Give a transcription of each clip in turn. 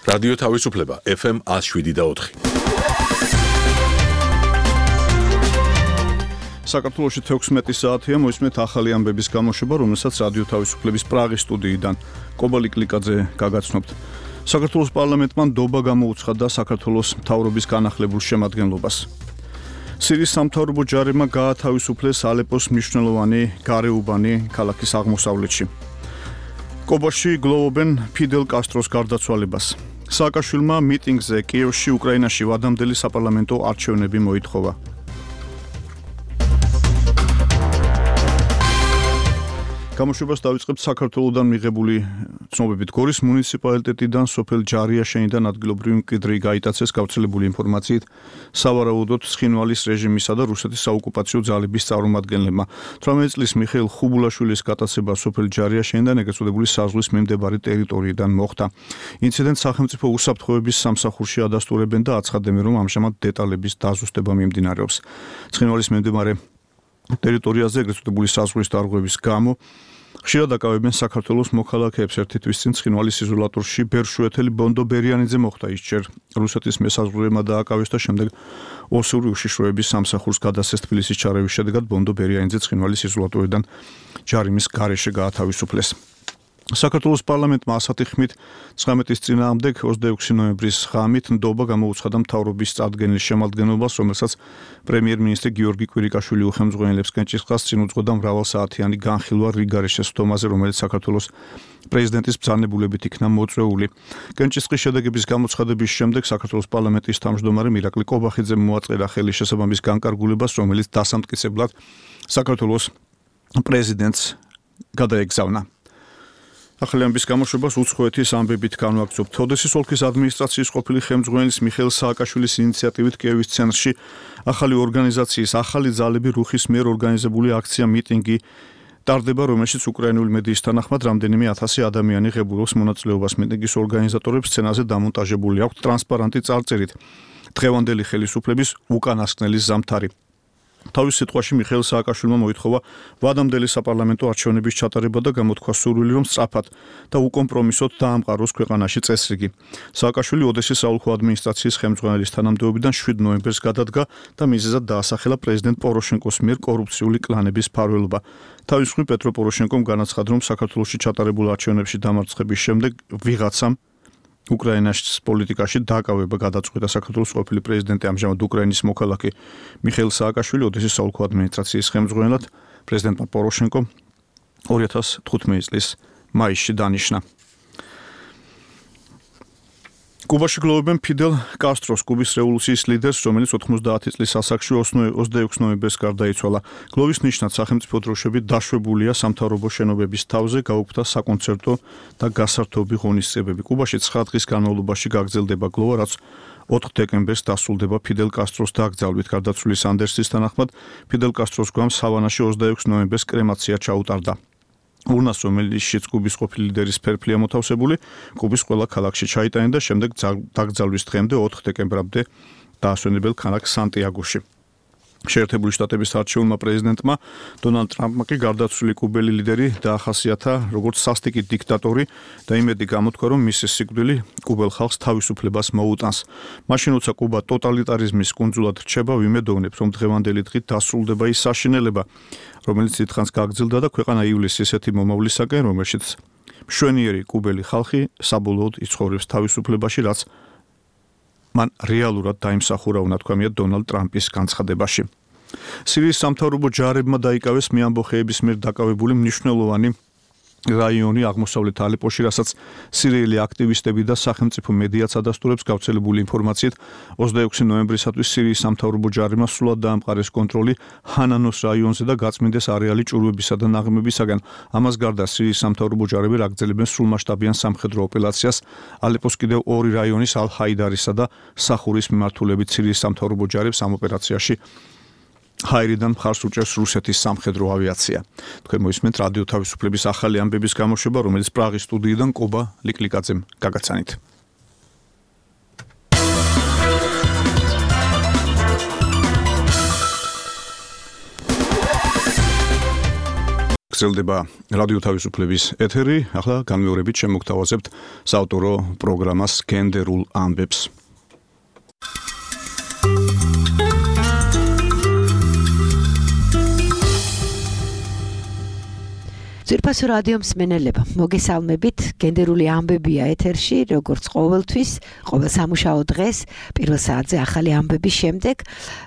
რადიო თავისუფლება FM 107.4. საქართველოში 16 საათია მოისმენთ ახალი ამბების გამოშვება, რომელსაც რადიო თავისუფლების პრაღის სტუდიიდან კობა ლიკლიკაძე გაგაცნობთ. საქართველოს პარლამენტმა ნდობა გამოუცხადა საქართველოს მთავრობის განახლებულ შემადგენლობას. სირიის სამთავრობო ჯარებმა გაათავისუფლეს ალეპოს მნიშვნელოვანი გარეუბანი ქალაქის აღმოსავლეთში. კობაში გლოვობენ ფიდელ კასტროს გარდაცვალებას. სააკაშვილმა მიტინგზე კიევში უკრაინაში ვადამდელი საპარლამენტო არჩევნები მოითხოვა. გამოშვებას დავიწყებთ საქართველოსდან მიღებული ცნობებით. გორის მუნიციპალიტეტიდან სოფელ ჯარიაშენიდან ადგილობრივი მკვიდრი გაიტაცეს გავრცელებული ინფორმაციით სავარაუდოდ ცხინვალის რეჟიმისა და რუსეთის საოკუპაციო ძალების წარმომადგენლებმა. 18 წლის მიხეილ ხუბულაშვილის გატაცება სოფელ ჯარიაშენიდან ეგრეთ წოდებული საზღვრის მიმდებარე ტერიტორიიდან მოხდა. ინციდენტს სახელმწიფო უსაფრთხოების სამსახურში ადასტურებენ და აცხადებენ, რომ ამჟამად დეტალების დაზუსტება მიმდინარეობს. ცხინვალის მიმდებარე ტერიტორიაზე ეგრეთ წოდებული საზღვრის დარღვევის გამო ხშირად აკავებენ საქართველოს მოქალაქეებს. ერთი თვის წინ ცხინვალის იზოლატორში ბერშუეთელი ბონდო ბერიანიძე მოხვდა. ის ჯერ რუსეთის მესაზღვრეებმა დააკავეს და შემდეგ ოსური უშიშროების სამსახურს გადასცეს. თბილისის ჩარევის შედეგად ბონდო ბერიანიძე ცხინვალის იზოლატორიდან ჯარიმის გარეშე გაათავისუფლეს. საქართველოს პარლამენტმა ასეთი ხმით 19-ის წინააღმდეგ 26 ნოემბრის ღამით ნდობა გამოუცხადა მთავრობის წარდგენილ შემადგენლობას, რომელსაც პრემიერ-მინისტრი გიორგი კვირიკაშვილი უხელმძღვანელებს. კენჭისყრას წინ უძღვოდა მრავალსაათიანი განხილვა რიგარეშე სხდომაზე, რომელიც საქართველოს პრეზიდენტის ბრძანებულებით იქნა მოწვეული. კენჭისყრის შედეგების გამოცხადების შემდეგ საქართველოს პარლამენტის თავმჯდომარე მირაკლი კობახიძემ მოაწერა ხელი შესაბამის განკარგულებას, რომელიც დასამტკიცებლად საქართველოს პრეზიდენტს გადაეგზავნა. ახალი ამბის გამოშვებას უცხოეთის ამბებით განვაგრძობთ. ოდესის ოლქის ადმინისტრაციის ყოფილი ხელმძღვანელის მიხეილ სააკაშვილის ინიციატივით კიევის ცენტრში ახალი ორგანიზაციის ახალი ძალები რუხის მიერ ორგანიზებული აქცია მიტინგი ტარდება, რომელშიც უკრაინული მედიის თანახმად რამდენიმე 1000 ადამიანი ღებულობს მონაწილეობას. მიტინგის ორგანიზატორებს სცენაზე დამონტაჟებული აქვთ ტრანსპარანტი წარწერით დღევანდელი ხელისუფლების უკანასკნელი ზამთარი. თავის სიტყვაში მიხეილ სააკაშვილმა მოითხოვა ვადამდელი საპარლამენტო არჩევნების ჩატარება და გამოთქვა სურვილი, რომ სწრაფად და უკომპრომისოდ დაამყაროს ქვეყანაში წესრიგი. სააკაშვილი ოდესის საოლქო ადმინისტრაციის ხელმძღვანელის თანამდებობიდან 7 ნოემბერს გადადგა და მიზეზად დაასახელა პრეზიდენტ პოროშენკოს მიერ კორუფციული კლანების მფარველობა. თავის მხრივ პეტრო პოროშენკომ განაცხადა, რომ საქართველოში ჩატარებულ არჩევნებში დამარცხების შემდეგ ვიღაცამ უკრაინას პოლიტიკაში დაკავება გადაწყვიტა. საქართველოს ყოფილი პრეზიდენტი ამჟამად უკრაინის მოქალაქე მიხეილ სააკაშვილი ოდესის საოლქო ადმინისტრაციის ხელმძღვანელად პრეზიდენტმა პოროშენკომ 2015 წლის მაისში დანიშნა. კუბაში გლოვობენ ფიდელ კასტროს, კუბის რევოლუციის ლიდერს, რომელიც 90 წლის ასაკში 26 ნოემბერს გარდაიცვალა. გლოვის ნიშნად სახელმწიფო დროშები დაშვებულია სამთავრობო შენობების თავზე, გაუქმდა საკონცერტო და გასართობი ღონისძიებები. კუბაში 9 დღის განმავლობაში გაგრძელდება გლოვა, რაც 4 დეკემბერს დასრულდება ფიდელ კასტროს დაკრძალვით. გარდაცვლილის ანდერსის თანახმად ფიდელ კასტროს გვამს ჰავანაში 26 ნოემბერს კრემაცია ჩაუტარდა. ურნას, რომელშიც კუბის ყოფილი ლიდერის ფერფლია მოთავსებული, კუბის ყველა ქალაქში ჩაიტანენ და შემდეგ დაკრძალვის დღემდე 4 დეკემბრამდე დაასვენებელ ქალაქ სანტიაგოში. შეერთებული შტატების არჩეულმა პრეზიდენტმა დონალდ ტრამპმა კი გარდაცვლილი კუბელი ლიდერი დაახასიათა როგორც სასტიკი დიქტატორი და იმედი გამოთქვა, რომ მისი სიკვდილი კუბელ ხალხს თავისუფლებას მოუტანს. მაშინ როცა კუბა ტოტალიტარიზმის კუნძულად რჩება, ვიმედოვნებ, რომ დღევანდელი დღით დასრულდება ის საშინელება, რომელიც დიდხანს გაგრძელდა და ქვეყანა ივლისის ისეთი მომავლისაკენ, რომელშიც მშვენიერი კუბელი ხალხი საბოლოოდ იცხოვრებს თავისუფლებაში, რაც მან რეალურად დაიმსახურა, უნათქვამია დონალდ ტრამპის განცხადებაში. სირიის სამთავრობო ჯარებმა დაიკავეს მეამბოხეების მიერ დაკავებული მნიშვნელოვანი რაიონი აღმოსავლეთ ალეპოში, რასაც სირიელი აქტივისტები და სახელმწიფო მედიაც ადასტურებს. გავრცელებული ინფორმაციით 26 ნოემბრისათვის სირიის სამთავრობო ჯარებმა სრულად დაამყარეს კონტროლი ჰანანოს რაიონზე და გაწმინდეს არეალი ჭურვებისა და ნაღმებისაგან. ამას გარდა სირიის სამთავრობო ჯარები აგრძელებენ სრულმასშტაბიან სამხედრო ოპერაციას ალეპოს კიდევ 2 რაიონის ალ-ჰაიდარისა და სახურის მიმართულებით. სირიის სამთავრობო ჯარებს ამ ოპერაციაში ჰაირიდან მხარს უჭერს რუსეთის სამხედრო ავიაცია. თქვენ მოისმენთ რადიო თავისუფლების ახალი ამბების გამოშვება, რომელიც პრაღის სტუდიიდან კობა ლიკლიკაძემ გაგაცანით. გრძელდება რადიო თავისუფლების ეთერი. ახლა განმეორებით შემოგთავაზებთ საავტორო პროგრამას გენდერულ ამბებს. ძვირფასო რადიო მსმენელებო, მოგესალმებით. გენდერული ამბებია ეთერში, როგორც ყოველთვის, ყოველ სამუშაო დღეს, პირველ საათზე ახალი ამბების შემდეგ.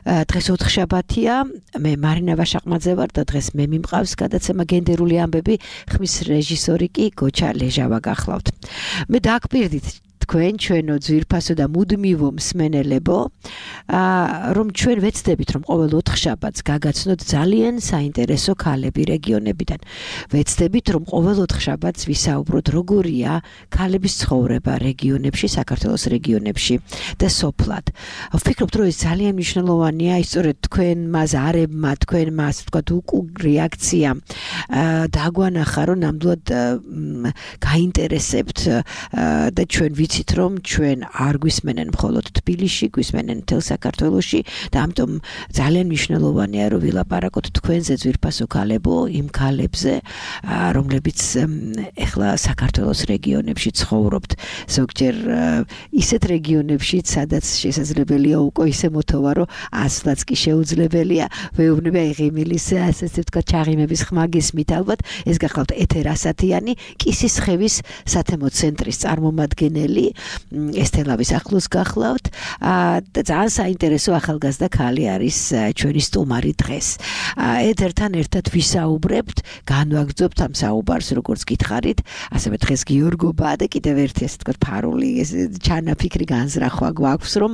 დღეს ოთხშაბათია, მე მარინა ვაშაყმაძე ვარ და დღეს მე მიმყავს გადაცემა გენდერული ამბები, ხმის რეჟისორი კი გოჩა ლეჟავა გახლავთ. მე დააგპირდით თქვენ ჩვენო ძვირფასო და მუდმივო მსმენელებო, რომ ჩვენ ვეცდებით, რომ ყოველ ოთხშაბათს გაგაცნოთ ძალიან საინტერესო ქალები რეგიონებიდან. ვეცდებით, რომ ყოველ ოთხშაბათს ვისაუბროთ, როგორია ქალების ცხოვრება რეგიონებში, საქართველოს რეგიონებში და სოფლად. ვფიქრობთ, რომ ეს ძალიან მნიშვნელოვანია, სწორედ თქვენმა ზარებმა, თქვენმა, ასე ვთქვათ, რეაქცია დაგვანახა, რომ ნამდვილად გაინტერესებთ და ჩვენ ვიცით, რომ ჩვენ არ გვისმენენ მხოლოდ თბილისში, გვისმენენ მთელ საქართველოში და ამიტომ ძალიან მნიშვნელოვანია, რომ ვილაპარაკოთ თქვენზე ძვირფასო ქალებო, იმ ქალებზე, რომლებიც ეხლა საქართველოს რეგიონებში ცხოვრობთ, ზოგჯერ ისეთ რეგიონებში, სადაც შესაძლებელია უკვე ისე მოთოვა, რომ ასლაც კი შეუძლებელია. ვეუბნება ღიმილის, ასე ვთქვათ, ჩაღიმების ხმა გისმით ალბათ, ეს გახლავთ ეთერ ასათიანი, კისისხევის სათემო ცენტრის წარმომადგენელი. ესთელავის ახლოს გახლავთ და ძალიან საინტერესო ახალგაზრდა ქალი არის ჩვენი სტუმარი დღეს. ეთერთან ერთად ვისაუბრებთ, განვაგრძობთ ამ საუბარს, როგორც გითხარით, ასევე დღეს გიორგობა და კიდევ ერთი ასე ვთქვათ ფარული ჩანაფიქრი განზრახვა გვაქვს, რომ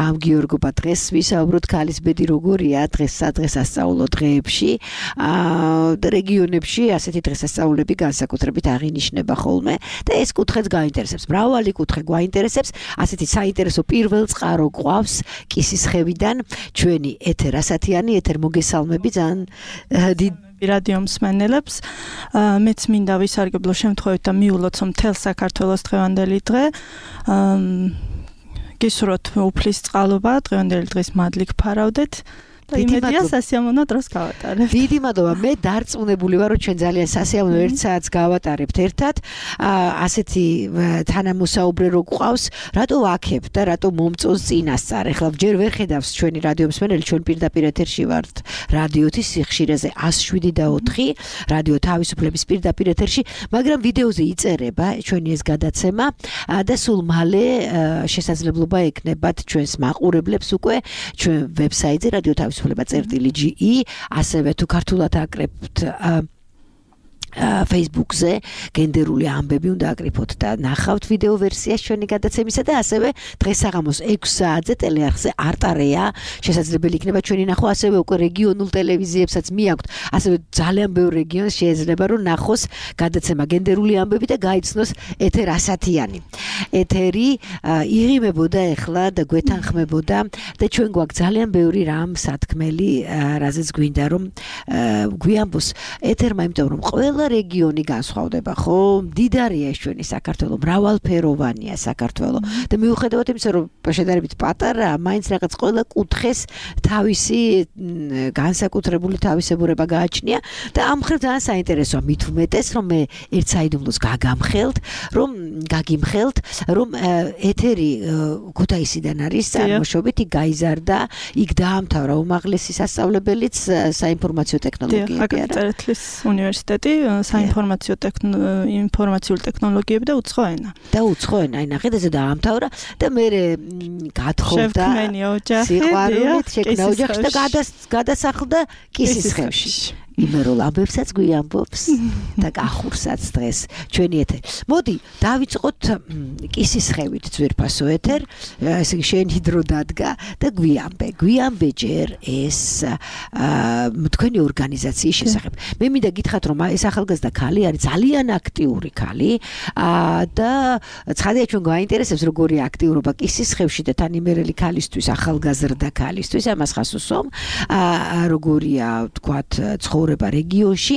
ამ გიორგობა დღეს ვისაუბროთ ქალის ბედი როგორია დღესადღეს სასწავლო დღეებში და რეგიონებში ასეთი დღესასწაულები განსაკუთრებით აღინიშნება ხოლმე და ეს კუთხეც გაინტერესებს. მრავალი კუთხე გვაინტერესებს, ასეთი საინტერესო პირველ წყარო გვყავს კისისხევიდან ჩვენი ეთერ ასათიანი, ეთერ მოგესალმები ძალიან დიდ რადიო მსმენელებს. მეც მინდა ვისარგებლო შემთხვევით და მიულოცო მთელ საქართველოს დღევანდელი დღე. გისურვოთ უფლის წყალობა, დღევანდელი დღის მადლი გფარავდეთ. იმედია სასიამოვნო დროს გავატარებთ. დიდი მადლობა. მე დარწმუნებული ვარ, რომ ჩვენ ძალიან სასიამოვნო 1 საათს გავატარებთ ერთად. ასეთი თანამოსაუბრე რო გვყავს, რატო ვაქებთ და რატო მომწონს წინასწარ. ეხლა ჯერ ვერ ხედავს ჩვენი რადიო მსმენელი, ჩვენ პირდაპირ ეთერში ვართ რადიოთის სიხშირეზე 107.4, რადიო თავისუფლების პირდაპირ ეთერში, მაგრამ ვიდეოზე იწერება ჩვენი ეს გადაცემა და სულ მალე შესაძლებლობა ექნებათ ჩვენს მაყურებლებს უკვე ჩვენ ვებსაიტზე რადიო თავისუფლება.ge, ასევე თუ ქართულად აკრებთ Facebook-ზე გენდერული ამბები უნდა აკრიფოთ და ნახავთ ვიდეო ვერსიას ჩვენი გადაცემისა და ასევე დღეს საღამოს 6 საათზე ტელეარხზე არტარეა შესაძლებელი იქნება ჩვენი ნახვა, ასევე უკვე რეგიონულ ტელევიზიებსაც მიაქვთ, ასევე ძალიან ბევრ რეგიონს შეიძლება რომ ნახოს გადაცემა გენდერული ამბები და გაიცნოს ეთერ ასათიანი. ეთერი იღიმებოდა ეხლა და გვეთანხმებოდა და ჩვენ გვაქვს ძალიან ბევრი რამ სათქმელი, რაზეც გვინდა რომ გვიამბოს ეთერმა, იმიტომ რომ ყველა რეგიონი განსხვავდება, ხო? მდიდარია ეს ჩვენი საქართველო, მრავალფეროვანია საქართველო და მიუხედავად იმისა, რომ შედარებით პატარაა, მაინც რაღაც ყველა კუთხეს თავისი განსაკუთრებული თავისებურება გააჩნია და ამ მხრივ ძალიან საინტერესოა, მით უმეტეს, რომ მე ერთ საიდუმლოს გაგიმხელთ, რომ ეთერი ქუთაისიდან არის წარმოშობით, იქ გაიზარდა, იქ დაამთავრა უმაღლესი სასწავლებელიც საინფორმაციო ტექნოლოგიები. აკაკი უნივერსიტეტი ინფორმაციული ტექნოლოგიები და უცხო ენა. და უცხო ენა, ნახეთ, დაამთავრა და მე გათხოვდა სიყვარულით, შექმნა ოჯახში და გადასახლდა კისისხევში. იმერულ ამბებსაც გვიამბობს და გახურსაც დღეს ჩვენი ეთერი. მოდი დავიწყოთ კისისხევით ძვირფასო ეთერ, ესე იგი შენი დრო დადგა და გვიამბე ჯერ ეს თქვენი ორგანიზაციის შესახებ. მე მინდა გითხრათ, რომ ეს ახალგაზრდა ქალი არის ძალიან აქტიური ქალი და ცხადია ჩვენ გვაინტერესებს როგორი აქტიურობა კისისხევში და თანიმერელი ქალისთვის, ახალგაზრდა ქალისთვის, ამას ხას უსვამ, როგორია თქვათ ცხოვრება რეგიონში,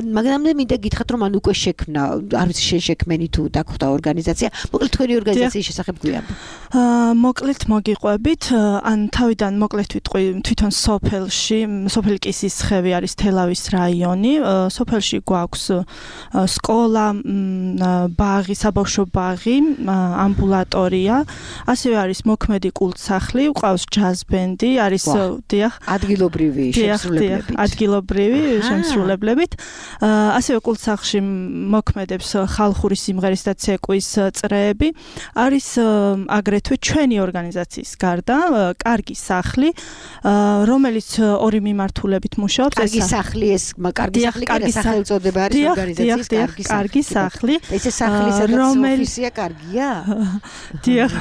მაგრამ მე მინდა გითხრათ, რომ ან უკვე შექმნა, არ ვიცი შენ შექმენი თუ დაგხვდა ორგანიზაცია, მოკლედ თქვენი ორგანიზაციის შესახებ გვიამბე. მოკლედ მოგიყვებით, ან თავიდან მოკლედ ვიტყვი თვითონ სოფელი კისისხევი არის თელავის რაიონი. სოფელში გვაქვს სკოლა, ბაღი, საბავშვო ბაღი, ამბულატორია, ასევე არის მოქმედი კულტსახლი, გვყავს ჯაზბენდი, არის დიახ, ადგილობრივი შემსრულებლებით. ასევე კულტსახლში მოქმედებს ხალხური სიმღერის და ცეკვის წრეები. არის აგრეთვე ჩვენი ორგანიზაციის გარდა კარგი სახლი, რომელიც ორი მიმართულებით მუშაობს. კარგი სახლი ეს კარგი სახელწოდება არის ორგანიზაციის კარგი სახლი. ეს სახლის ოფისია კარგია? დიახ.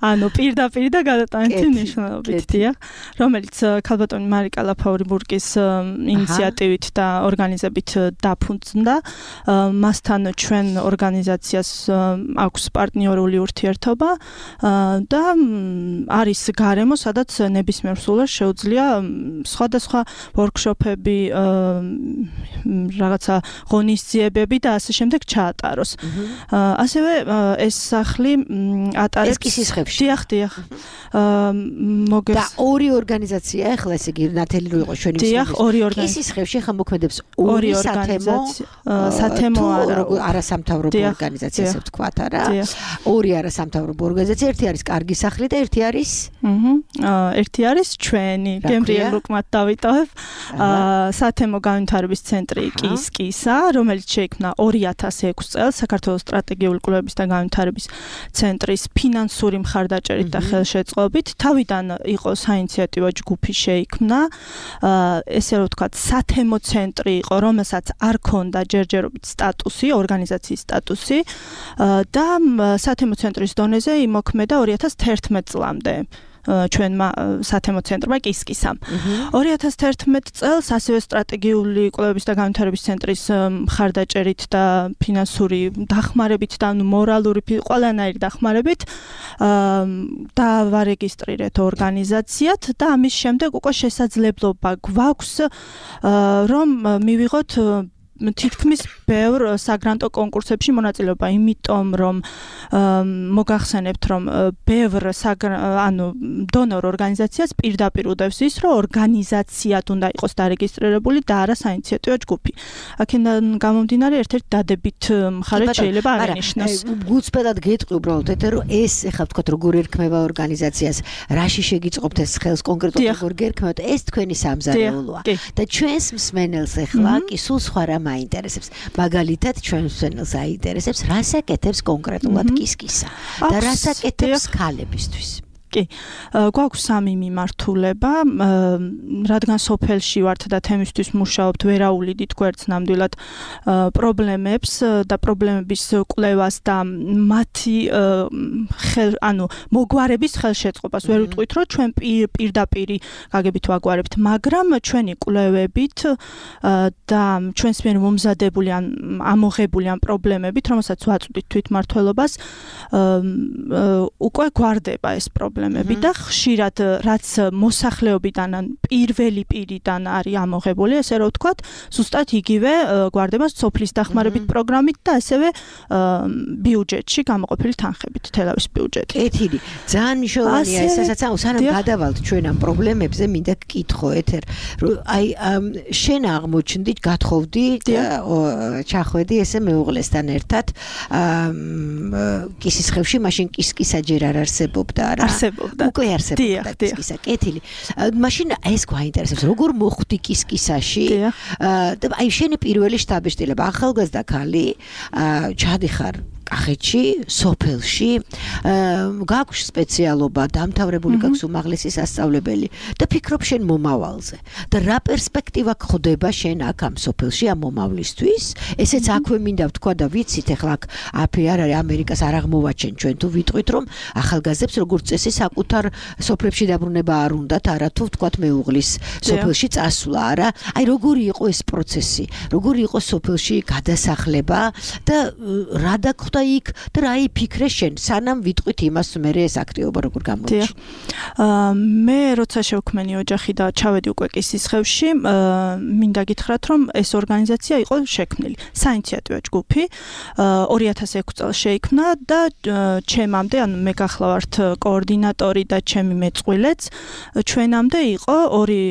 ანუ პირდაპირ და გადატანითი ნიშნულობით, დიახ, რომელიც ქალბატონი მარიკა ლაფაურიბურგის ინიციატივით და ორგანიზებით დაფუძნდა. მასთან ჩვენ ორგანიზაციას აქვს პარტნიორული ურთიერთობა და არის გარემო, სადაც ნებისმიერ სულას შეუძლია სხვადასხვა ვორქშოპები, რაღაცა ღონისძიებები და ასე შემდეგ ჩაატაროს. ასევე ეს სახლი ატარებს კისისხევში. დიახ. და ორი ორგანიზაცია ახლა ესე იგი ნათელი რო იყო ჩვენი დიახ, ორი ორგანიზაცია. კისისხევში ხა მოქმედებს ორი სათემო არასამთავრობო ორგანიზაცია, ასე ვთქვათ, არა? ორი არასამთავრობო ორგანიზაცია, ერთი არის კარგი სახლი და ერთი არის ერთი არის ჩვენი გემრიელ უკმათ დავიტოვებ სათემო განვითარების ცენტრი კისკისა, რომელიც შეიქმნა 2006 წელს საქართველოს სტრატეგიული კვლევების და განვითარების ცენტრის ფინანსური მხარდაჭერით და ხელშეწყობით. თავიდან იყო საინიციატივო ჯგუფი შეიქმნა, ესე რომ ვთქვათ, სათემო ცენტრი იყო, რომელსაც არ ქონდა ჯერჯერობით სტატუსი, ორგანიზაციის სტატუსი და სათემო ცენტრის დონეზე იმოქმედა 2011 წლამდე. ჩვენმა სათემო ცენტრმა კისკისამ. 2011 წელს ასევე სტრატეგიული კვლევების და განვითარების ცენტრის მხარდაჭერით და ფინანსური დახმარებით და მორალური ყველანაირი დახმარებით დავარეგისტრირეთ ორგანიზაციად და ამის შემდეგ უკვე შესაძლებლობა გვაქვს რომ მივიღოთ თითქმის ბევრ საგრანტო კონკურსებში მონაწილეობა, იმიტომ რომ მოგახსენებთ, რომ ბევრ დონორ ორგანიზაციას პირდაპირ უდევს ის, რომ ორგანიზაციად უნდა იყოს დარეგისტრირებული და არა საინიციატივო ჯგუფი. აქედან გამომდინარე ერთ-ერთი დადებით მხარეთ შეიძლება აღინიშნოს. გულწრფელად გეტყვი უბრალოდ ეთერ, რომ ეს ეხლა ვთქვათ, როგორ ერქმევა ორგანიზაციას, რაში შეგიწყობთ ეს ხელს კონკრეტულად როგორ გერქმევთ, ეს თქვენი სამზარეულოა. და ჩვენს მსმენელს ეხლა კი სულ სხვა რა მაინტერესებს. მაგალითად, ჩვენს მსმენელს აინტერესებს, რას აკეთებს კონკრეტულად კისკისა და რას აკეთებს ქალებისთვის. კი, გვაქვს სამი მიმართულება, რადგან სოფელში ვართ და თემისთვის მუშაობთ, ვერაულიდით გვერდს ნამდვილად პრობლემებს და პრობლემების კვლევას და მათი მოგვარების ხელშეწყობას. ვერ ვიტყვით, რომ ჩვენ პირდაპირ გაგებით ვაგვარებთ, მაგრამ ჩვენი კვლევებით და ჩვენს მიერ მომზადებული ან ამოღებული ან პრობლემებით, რომელსაც ვაწვდით თვითმმართველობას, უკვე გვარდება ეს პრობლემა. და ხშირად რაც მოსახლეობიდან ან პირველი პირიდან არის ამოღებული, ესე რომ ვთქვათ, ზუსტად იგივე გვარდება სოფლის დახმარებით პროგრამით და ასევე ბიუჯეტში გამოყოფილი თანხებით, თელავის ბიუჯეტი. კეთილი, ძალიან მნიშვნელოვანია ეს, სანამ გადავალთ ჩვენ ამ პრობლემებზე, მინდა გკითხო ეთერ, რომ აი შენ აღმოჩნდი, გათხოვდი და ჩახვედი ესე მეუღლესთან ერთად კისისხევში, მაშინ კისკისა ჯერ არ არსებობდა, არა? უკვე არსებობდა კისკისა. კეთილი. მაშინ ეს გვაინტერესებს, როგორ მოხვდი კისკისაში? და აი შენი პირველი შტაბ-შტილება, ახალგაზრდა ქალი, ჩადიხარ კახეთში, სოფელში, გაქვს სპეციალობა, დამთავრებული გაქვს უმაღლესი სასწავლებელი და ფიქრობ შენ მომავალზე. და რა პერსპექტივა გხდება შენ აქ ამ სოფელში ამ მომავლისთვის? ესეც აქვე მინდა ვთქვა და ვიცით, ეხლა აქ აფი არ არის, ამერიკას არ აღმოვაჩენ ჩვენ თუ ვიტყვით, რომ ახალგაზრდებს როგორც წესი საკუთარ სოფლებში დაბრუნება არ უნდათ, არა თუ ვთქვათ მეუღლის სოფელში წასვლა, არა? აი როგორი იყო ეს პროცესი? როგორი იყო სოფელში გადასახლება და რა მოხდა იქ და რა იფიქრე შენ სანამ ვიტყვით იმას მე ეს აქტივობა როგორ გამოიჩინა მე როცა შევქმენი ოჯახი და ჩავედი უკვე კისისხევში მინდა გითხრათ რომ ეს ორგანიზაცია იყო შექმნილი საინიციატივო ჯგუფი 2006 წელს შეიქმნა და ჩემამდე ანუ მე გახლავართ კოორდინატორი და ჩემი მეწყვილეც ჩვენამდე იყო ორი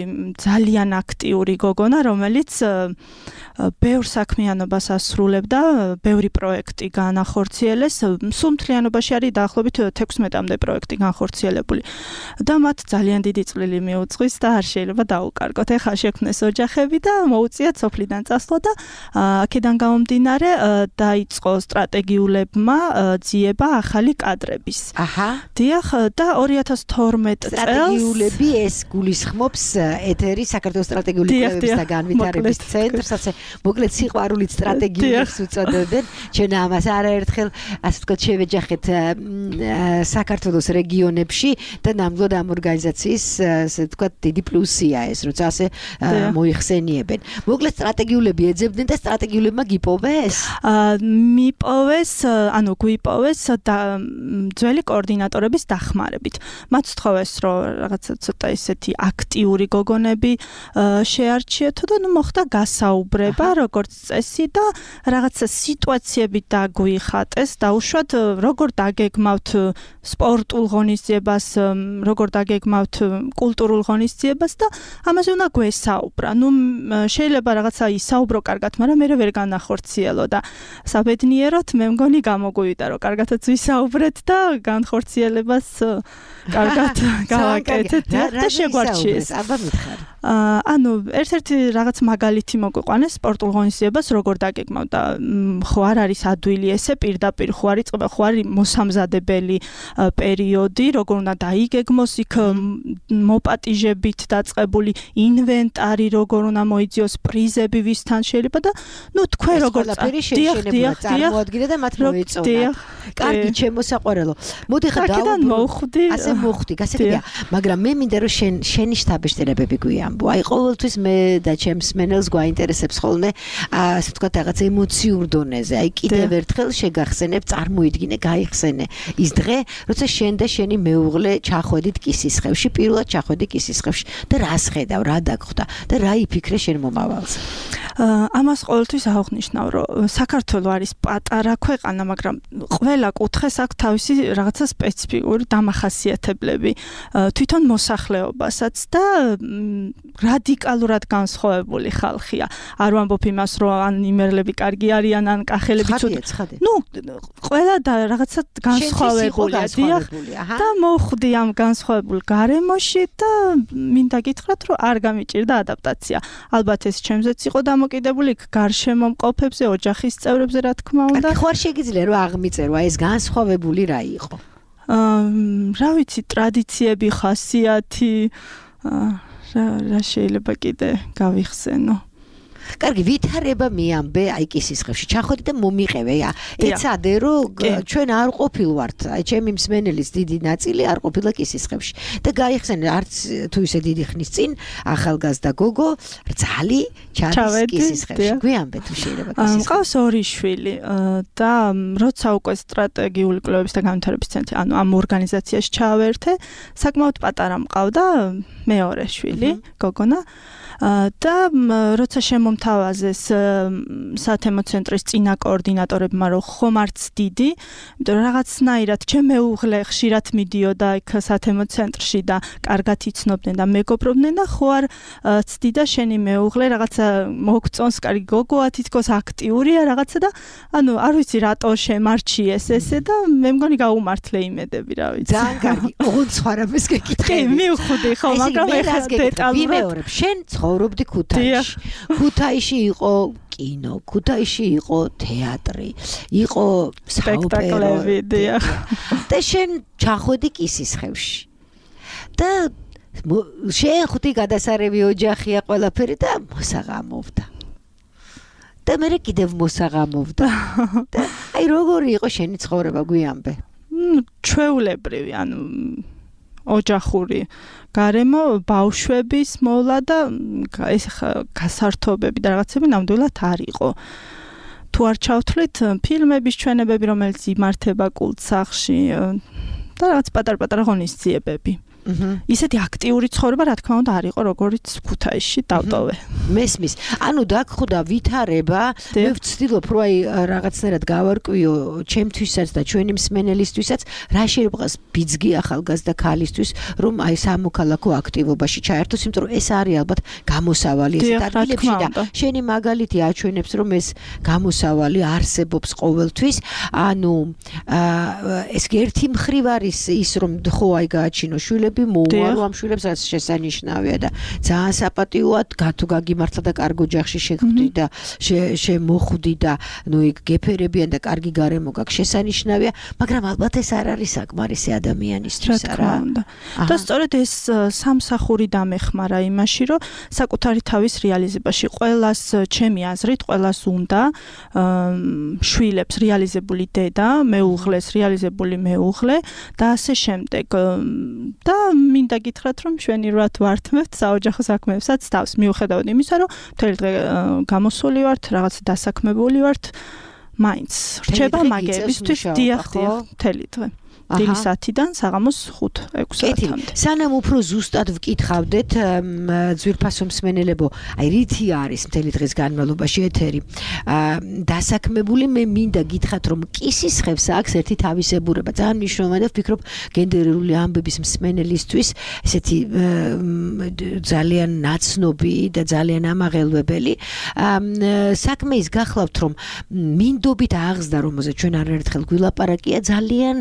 ძალიან აქტიური გოგონა რომელიც ბევრ საქმიანობას ასრულებდა ბევრი პროექტი განახორციელეს სულ მთლიანობაში არის დაახლოებით 16-მდე პროექტი განხორციელებული და მათ ძალიან დიდი წვლილი მიუძღვის და არ შეიძლება დაუკარგოთ ეხლა შექმნეს ოჯახები და მოუწიათ სოფლიდან წასვლა და აქედან გამომდინარე დაიწყო სტრატეგიულებმა ძიება ახალი კადრების დიახ და 2012 წელს სტრატეგიულები ეს გულისხმობს ეთერი საქართველოს სტრატეგიული კვლევების და განვითარების ცენტრს მოკლედ სიყვარულით სტრატეგიულებს უწოდებენ ჩვენ ამას არაერთხელ ასე ვთქვათ შევეჯახეთ საქართველოს რეგიონებში და ნამდვილად ამ ორგანიზაციის ასე ვთქვათ დიდი პლუსია ეს როცა ასე მოიხსენიებენ მოკლედ სტრატეგიულები ეძებდნენ და სტრატეგიულებმა გიპოვეს მიპოვეს ანუ გვიპოვეს და ძველი კოორდინატორების დახმარებით მათ სთხოვეს რომ რაღაცა ცოტა ისეთი აქტიური გოგონები შეარჩიეთო და ნუ მოხდა გასაუბრება როგორც წესი და რაღაცა სიტუაციები დაგვიხატეს დაუშვათ როგორ დაგეგმავთ სპორტულ ღონისძიებას როგორ დაგეგმავთ კულტურულ ღონისძიებას და ამაზე უნდა გვესაუბრა ნუ შეიძლება რაღაცა ისაუბრო კარგად მაგრამ მე ვერ განახორციელო და საბედნიეროდ მე მგონი გამოგვივიდა რომ კარგადაც ვისაუბრეთ და განხორციელებას კარგად გავაკეთეთ და შეგვარჩიეს აბა მითხარ ანუ ერთ-ერთი რაღაც მაგალითი მოგვიყვანეს სპორტულ ღონისძიებას როგორ დაგეგმავ და ხო არ არის ადვილი ესე პირდაპირ ხო არის წყობა ხო არის მოსამზადებელი პერიოდი როგორ უნდა დაიგეგმოს იქ მოპატიჟებით დაწყებული ინვენტარი როგორ უნდა მოიძიოს პრიზები ვისთან შეიძლება და ნუ თქვენ როგორ წარმოადგინე და მათ მოეწონათ კარგი ჩემოსაყვარელო მოდი ხა დავუბრუნდე ასე მოხდი გასაგებია მაგრამ მე მინდა რომ შენი შთაბეჭდილებები გვიამბო აი ყოველთვის მე და ჩემს მენელს გვაინტერესებს ხოლმე ასე ვთქვათ რაღაც ემოციურ დონეზე აი კიდევ ერთხელ შეგახსენებ წარმოიდგინე გაიხსენე ის დღე როცა შენ და შენი მეუღლე ჩახვედით კისისხევში პირველად ჩახვედი კისისხევში და რას ხედავ რა დაგხვდა და რა იფიქრე შენ მომავალზე ამას ყოველთვის აღვნიშნავ რომ საქართველო არის პატარა ქვეყანა მაგრამ ყველა კუთხეს აქვს თავისი რაღაცა სპეციფიკური დამახასიათებლები თვითონ მოსახლეობასაც და რადიკალურად განსხვავებული ხალხია არ ვამბობ იმას რომ ან იმერლები კარგი არიან ან კახელები ცუდი ნუ ყველა და რაღაცა განსხვავებულია და მოხვდი ამ განსხვავებულ გარემოში და მინდა გითხრათ რომ არ გამიჭირდა ადაპტაცია ალბათ ეს ჩემზეც იყო დამოკიდებული გარშემო მყოფებზე ოჯახის წევრებზე რა თქმა უნდა ხო არ შეგიძლია რომ აღმიწერო ეს განსხვავებული რა იყო რა ვიცი ტრადიციები ხასიათი რა შეიძლება კიდე გავიხსენო კარგი ვითარება მიამბე აი კისისხევში ჩახვედი და მომიყევე ეცადე რომ ჩვენ არ ყოფილვართ აი ჩემი მსმენელის დიდი ნაწილი არ ყოფილა კისისხევში და გაიხსენე არც თუ ისე დიდი ხნის წინ ახალგაზრდა გოგო რძალი ჩადის კისისხევში გვიამბე თუ შეიძლება კისისხევში მყავს ორი შვილი და როცა უკვე სტრატეგიული კვლევების და განვითარების ცენტრი ანუ ამ ორგანიზაციაში ჩავერთე საკმაოდ პატარა მყავდა მეორე შვილი გოგონა და როცა შემომთავაზეს სათემო ცენტრის წინა კოორდინატორებმა რომ ხომ არც დიდი, იმიტომ რომ რაღაცნაირად ჩემ მეუღლე ხშირად მიდიოდა იქ სათემო ცენტრში და კარგად იცნობდნენ და მეგობრობდნენ და ხო არ ცდიდა შენი მეუღლე რაღაცა მოგწონს კარგი გოგოა თითქოს აქტიურია რაღაცა და ანუ არ ვიცი რატო შემარჩიეს ესე და მე მგონი გაუმართლე იმედები რა ვიცი. ძალიან კარგი. ოღონდ სხვა რამეს გეკითხები. კი, მივხვდი ხო, მაგრამ ეხლა დეტალურად შენ ცხოვრობდი ქუთაისში. ქუთაისში იყო კინო, ქუთაისში იყო თეატრი, იყო სპექტაკლები, დიახ. და შენ ჩახვედი კისისხევში. და შენ ხუთი გადასარევი ოჯახია ყველაფერი და მოსაღამოვდა. და მე კიდევ მოსაღამოვდა. და აი როგორი იყო შენი ცხოვრება გვიამბე? ჩვეულებრივი, ანუ ოჯახური გარემო ბავშვების მოვლა და ეს გასართობები და რაღაცები ნამდვილად არ იყო. თუ არ ჩავთვლით ფილმების ჩვენებები, რომელიც იმართება კულტსახში და რაღაც პატარ-პატარა ღონისძიებები. ისეთი აქტიური ცხოვრება, რა თქმა უნდა, არ იყო როგორც ქუთაისში დავტოვე. მესმის. ანუ დაგხვდა ვითარება, მე ვცდილობ რომ აი რაღაცნაირად გავარკვიო ჩემთვისაც და ჩვენი მსმენელისთვისაც, რა შეიძლება ბიძგი ახალგაზრდა ქალისთვის, რომ აი სამოქალაქო აქტივობაში ჩაერთოს, იმიტომ რომ ეს არის ალბათ გამოსავალი ეს ადგილებში და შენი მაგალითი აჩვენებს, რომ ეს გამოსავალი არსებობს ყოველთვის. ანუ ეს ერთი მხრივ არის ის, რომ ხო აი გააჩინო შვილები მოუვალო ამ შვილებს რაც შესანიშნავია და ძალიან საპატიოა თუ გაგიმართლა და კარგ ოჯახში შეხვდი და შემოხვდი და ნუ იქ გეფერებიან და კარგი გარემო გაქვს შესანიშნავია, მაგრამ ალბათ ეს არ არის საკმარისი ადამიანისთვის რა. და სწორედ ეს სამსახური დამეხმარა იმაში, რომ საკუთარი თავის რეალიზებაში ყველას ჩემი აზრით ყველას უნდა შვილებს რეალიზებული დედა, მეუღლეს რეალიზებული მეუღლე და ასე შემდეგ. და მინდა გითხრათ, რომ შვენივრად ვართმევთ საოჯახო საქმეებსაც თავს, მიუხედავად იმისა, რომ მთელი დღე გამოსული ვართ, რაღაც დასაქმებული ვართ, მაინც რჩება მაგებისთვის დიახ, მთელი დღე. დილის 10-დან საღამოს 5-6 საათამდე. სანამ უფრო ზუსტად ვკითხავდეთ ძვირფასო მსმენელებო, აი რითი არის მთელი დღის განმავლობაში ეთერი. დასაქმებული მე მინდა გითხრათ, რომ კისის ხევს აქვს ერთი თავისებურება. ძალიან მნიშვნელოვანია, ვფიქრობ, გენდერული ამბების მსმენელისთვის ესეთი ძალიან ნაცნობი და ძალიან ამაღელვებელი. საქმე ის გახლავთ, რომ მინდობით აღზრდა, რომელზეც ჩვენ არაერთხელ გვილაპარაკია, ძალიან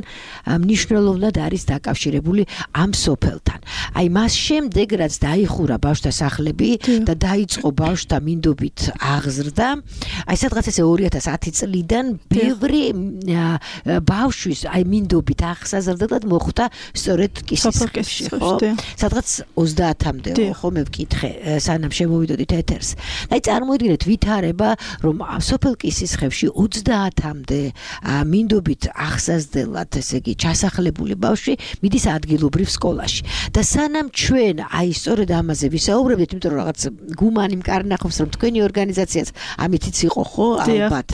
მნიშვნელოვნად არის დაკავშირებული ამ სოფელთან. აი მას შემდეგ რაც დაიხურა ბავშვთა სახლები და დაიწყო ბავშვთა მინდობით აღზრდა, აი სადღაც ესე 2010 წლიდან ბევრი ბავშვის აი მინდობით აღსაზრდად მოხვდა სწორედ კისის ხევში, ხო? სადღაც 30-მდე, ხო მე ვკითხე, სანამ შემოვიდოდით ეთერს. აი წარმოიდგინეთ ვითარება, რომ სოფელ კისის ხევში 30-მდე მინდობით აღსაზრდელად, ესე იგი ჩასახლებული ბავშვი მიდის ადგილობრივ სკოლაში. და სანამ ჩვენ აი სწორედ ამაზე ვისაუბრებდით, იმიტომ რომ რაღაც გუმანი მკარნახობს, რომ თქვენი ორგანიზაციაც ამითიც იყო ხო ალბათ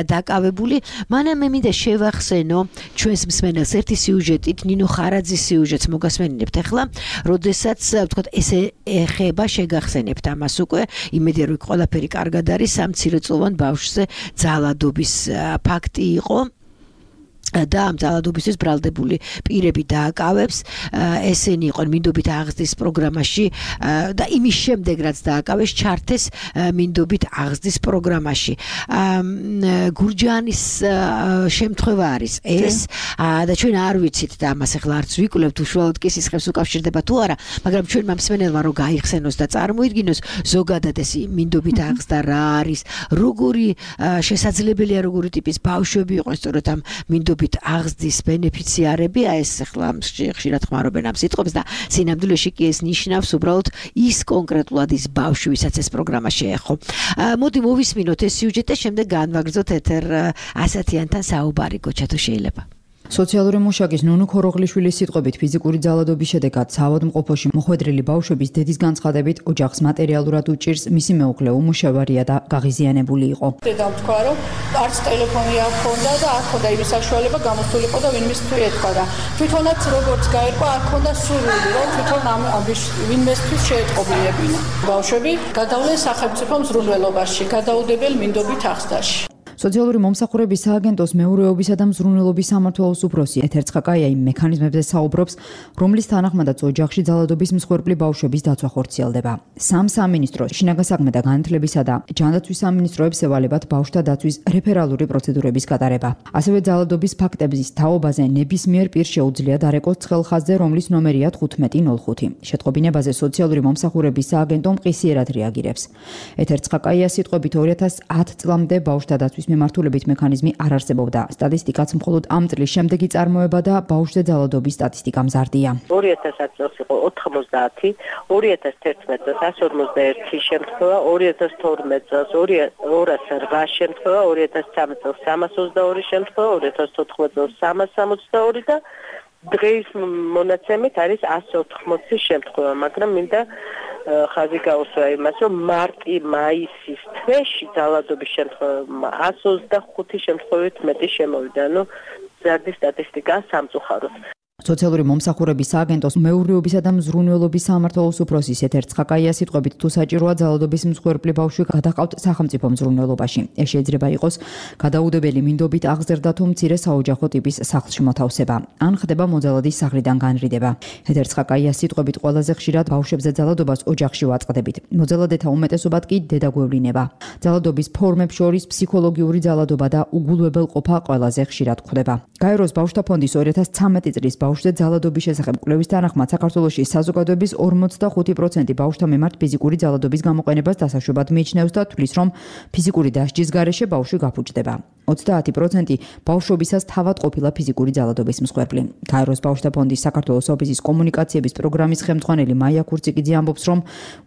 დაკავებული, მანამ მე მინდა შევახსენო ჩვენს მსმენელს ერთი სიუჟეტით, ნინო ხარაძის სიუჟეტს მოგასმენინებთ ახლა, როდესაც ვთქვათ ესე ეხება შეგახსენებთ ამას უკვე, იმედია რომ ყველაფერი კარგად არის, სამცირეწლოვან ბავშვზე ძალადობის ფაქტი იყო. და ამ ძალადობისთვის ბრალდებული პირები დააკავებს, ესენი იყვნენ მინდობით აღზრდის პროგრამაში და იმის შემდეგ რაც დააკავეს ჩართეს მინდობით აღზრდის პროგრამაში. გურჯაანის შემთხვევა არის ეს და ჩვენ არ ვიცით და ამას ახლა არც ვიკვლევთ უშუალოდ კისის ხევს უკავშირდება თუ არა, მაგრამ ჩვენ მომსმენელმა რომ გაიხსენოს და წარმოიდგინოს ზოგადად ეს მინდობით აღზრდა რა არის, როგორი შესაძლებელია როგორი ტიპის ბავშვები იყვნენ სწორედ ამ მინდობით აღზრდის ბენეფიციარები, ეს ახლა ხშირად ხმარობენ ამ სიტყვებს და სინამდვილეში კი ეს ნიშნავს უბრალოდ ის კონკრეტულად ის ბავშვი, ვისაც ეს პროგრამა შეეხო. მოდი მოვისმინოთ ეს სიუჟეტი და შემდეგ განვაგრძოთ ეთერ ასათიანთან საუბარი, გოჩა თუ შეიძლება. სოციალური მუშაკის ნუნუ ქოროღლიშვილის სიტყვებით ფიზიკური ძალადობის შედეგად საავადმყოფოში მოხვედრილი ბავშვების დედის განცხადებით ოჯახს მატერიალურად უჭირს მისი მეუღლე უმუშევარია და გაღიზიანებული იყო. დედამ თქვა რომ არც ტელეფონი არ ჰქონდა და არ ჰქონდა იმის საშუალება გამოსულიყო და ვინმესთვის ეთქვა და თვითონაც როგორც გაირკვა არ ჰქონდა სურვილი რომ თვითონ ამ ვინმესთვის შეეტყობინებინა. ბავშვები გადავლენ სახელმწიფო მზრუნველობაში, გადაუდებელ მინდობით აღზრდაში. სოციალური მომსახურების სააგენტოს მეურვეობისა და მზრუნველობის სამმართველოს უფროსი ეთერ ცხაკაია იმ მექანიზმებზე საუბრობს, რომლის თანახმადაც ოჯახში ძალადობის მსხვერპლი ბავშვების დაცვა ხორციელდება. სამინისტრო შინაგან საქმეთა განათლებისა და ჯანდაცვის სამინისტროებს ევალებათ ბავშვთა დაცვის რეფერალური პროცედურების გატარება. ასევე ძალადობის ფაქტების თაობაზე ნებისმიერ პირს შეუძლია დარეკოს ცხელ ხაზზე, რომლის ნომერია 1505. შეტყობინებაზე სოციალური მომსახურების სააგენტო მყისიერად რეაგირებს. ეთერ ცხაკაიას სიტყვებით 2010 წლამდე ბავშვთა დაცვის მიმართულებით მექანიზმი არ არსებობდა. სტატისტიკაც მხოლოდ ამ წლის შემდეგი წარმოება და ბავშვზე ძალადობის სტატისტიკა მზარდია. 2010 წელს იყო 90, 2011 წელს 151 შემთხვევა, 2012 წელს 208 შემთხვევა, 2013 წელს 322 შემთხვევა, 2014 წელს 362 და დღის მონაცემით არის 180 შემთხვევა, მაგრამ მინდა ხაზი გაუსვა იმას, რომ მარტი-მაისის თვეში ძალადობის შემთხვევა 125 შემთხვევით მეტი შემოვიდა. ზარდის სტატისტიკა სამწუხაროდ. სოციალური მომსახურების სააგენტოს მეურნეობისა და მზრუნველობის სამმართველოს უფროსის ეთერ ცხაკაიას სიტყვებით თუ საჭიროა ძალადობის მსხვერპლი ბავშვი გადაყავთ სახელმწიფო მზრუნველობაში. ეს შეიძლება იყოს გადაუდებელი მინდობით აღზრდა თუ მცირე საოჯახო ტიპის სახლში მოთავსება, ან ხდება მოძალადის სახლიდან განრიდება. ეთერ ცხაკაიას სიტყვებით ყველაზე ხშირად ბავშვებზე ძალადობას ოჯახში ვაწყდებით. მოძალადეთა უმეტესობად კი დედაგვევლინება. ძალადობის ფორმებს შორის ფსიქოლოგიური ძალადობა და უგულვებელყოფა ყველაზე ხშირად გვხვდება. გაეროს ბავშვთა ფონდის 2013 წლის ბავშვზე ძალადობის შესახებ კვლევის თანახმად საქართველოში საზოგადოების 45% ბავშვთა მიმართ ფიზიკური ძალადობის გამოყენებას დასაშვებად მიიჩნევს და თვლის, რომ ფიზიკური დასჯის გარეშე ბავშვი გაფუჭდება. 30% ბავშვობისას თავად ყოფილა ფიზიკური ძალადობის მსხვერპლი. გაეროს ბავშვთა ფონდის საქართველოს ოფისის კომუნიკაციების პროგრამის ხელმძღვანელი მაია ქურციკიძე ამბობს, რომ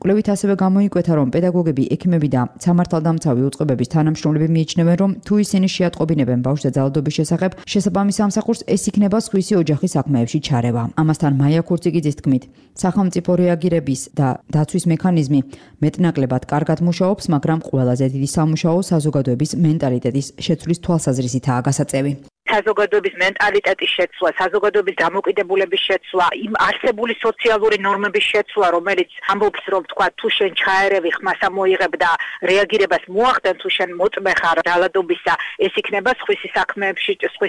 კვლევით ასევე გამოიკვეთა, რომ პედაგოგები, ექიმები და სამართალდამცავი უწყებების თანამშრომლები მიიჩნევენ, რომ თუ ისინი შეატყობინებენ ბავშვზე ძალადობის შესახებ, შესაბამის სამსახურს ეს იქნება სხვისი ოჯახის საქმეებში ჩარევა. ამასთან მაია ქურციკიძის თქმით, სახელმწიფო რეაგირების და დაცვის მექანიზმი მეტნაკლებად კარგად მუშაობს, მაგრამ ყველაზე დიდი სამუშაო საზოგადოების მენტალიტეტის შეცვლის თვალსაზრისითაა გასაწევი. საზოგადოების მენტალიტეტის შეცვლა, საზოგადოების დამოკიდებულების შეცვლა, იმ არსებული სოციალური ნორმების შეცვლა, რომელიც ამბობს, რომ თქვა, თუ შენ ჩაერევი, ხმას ამოიღებ და რეაგირებას მოახდენ, თუ შენ მოწმე ხარ ძალადობისა, ეს იქნება სხვისი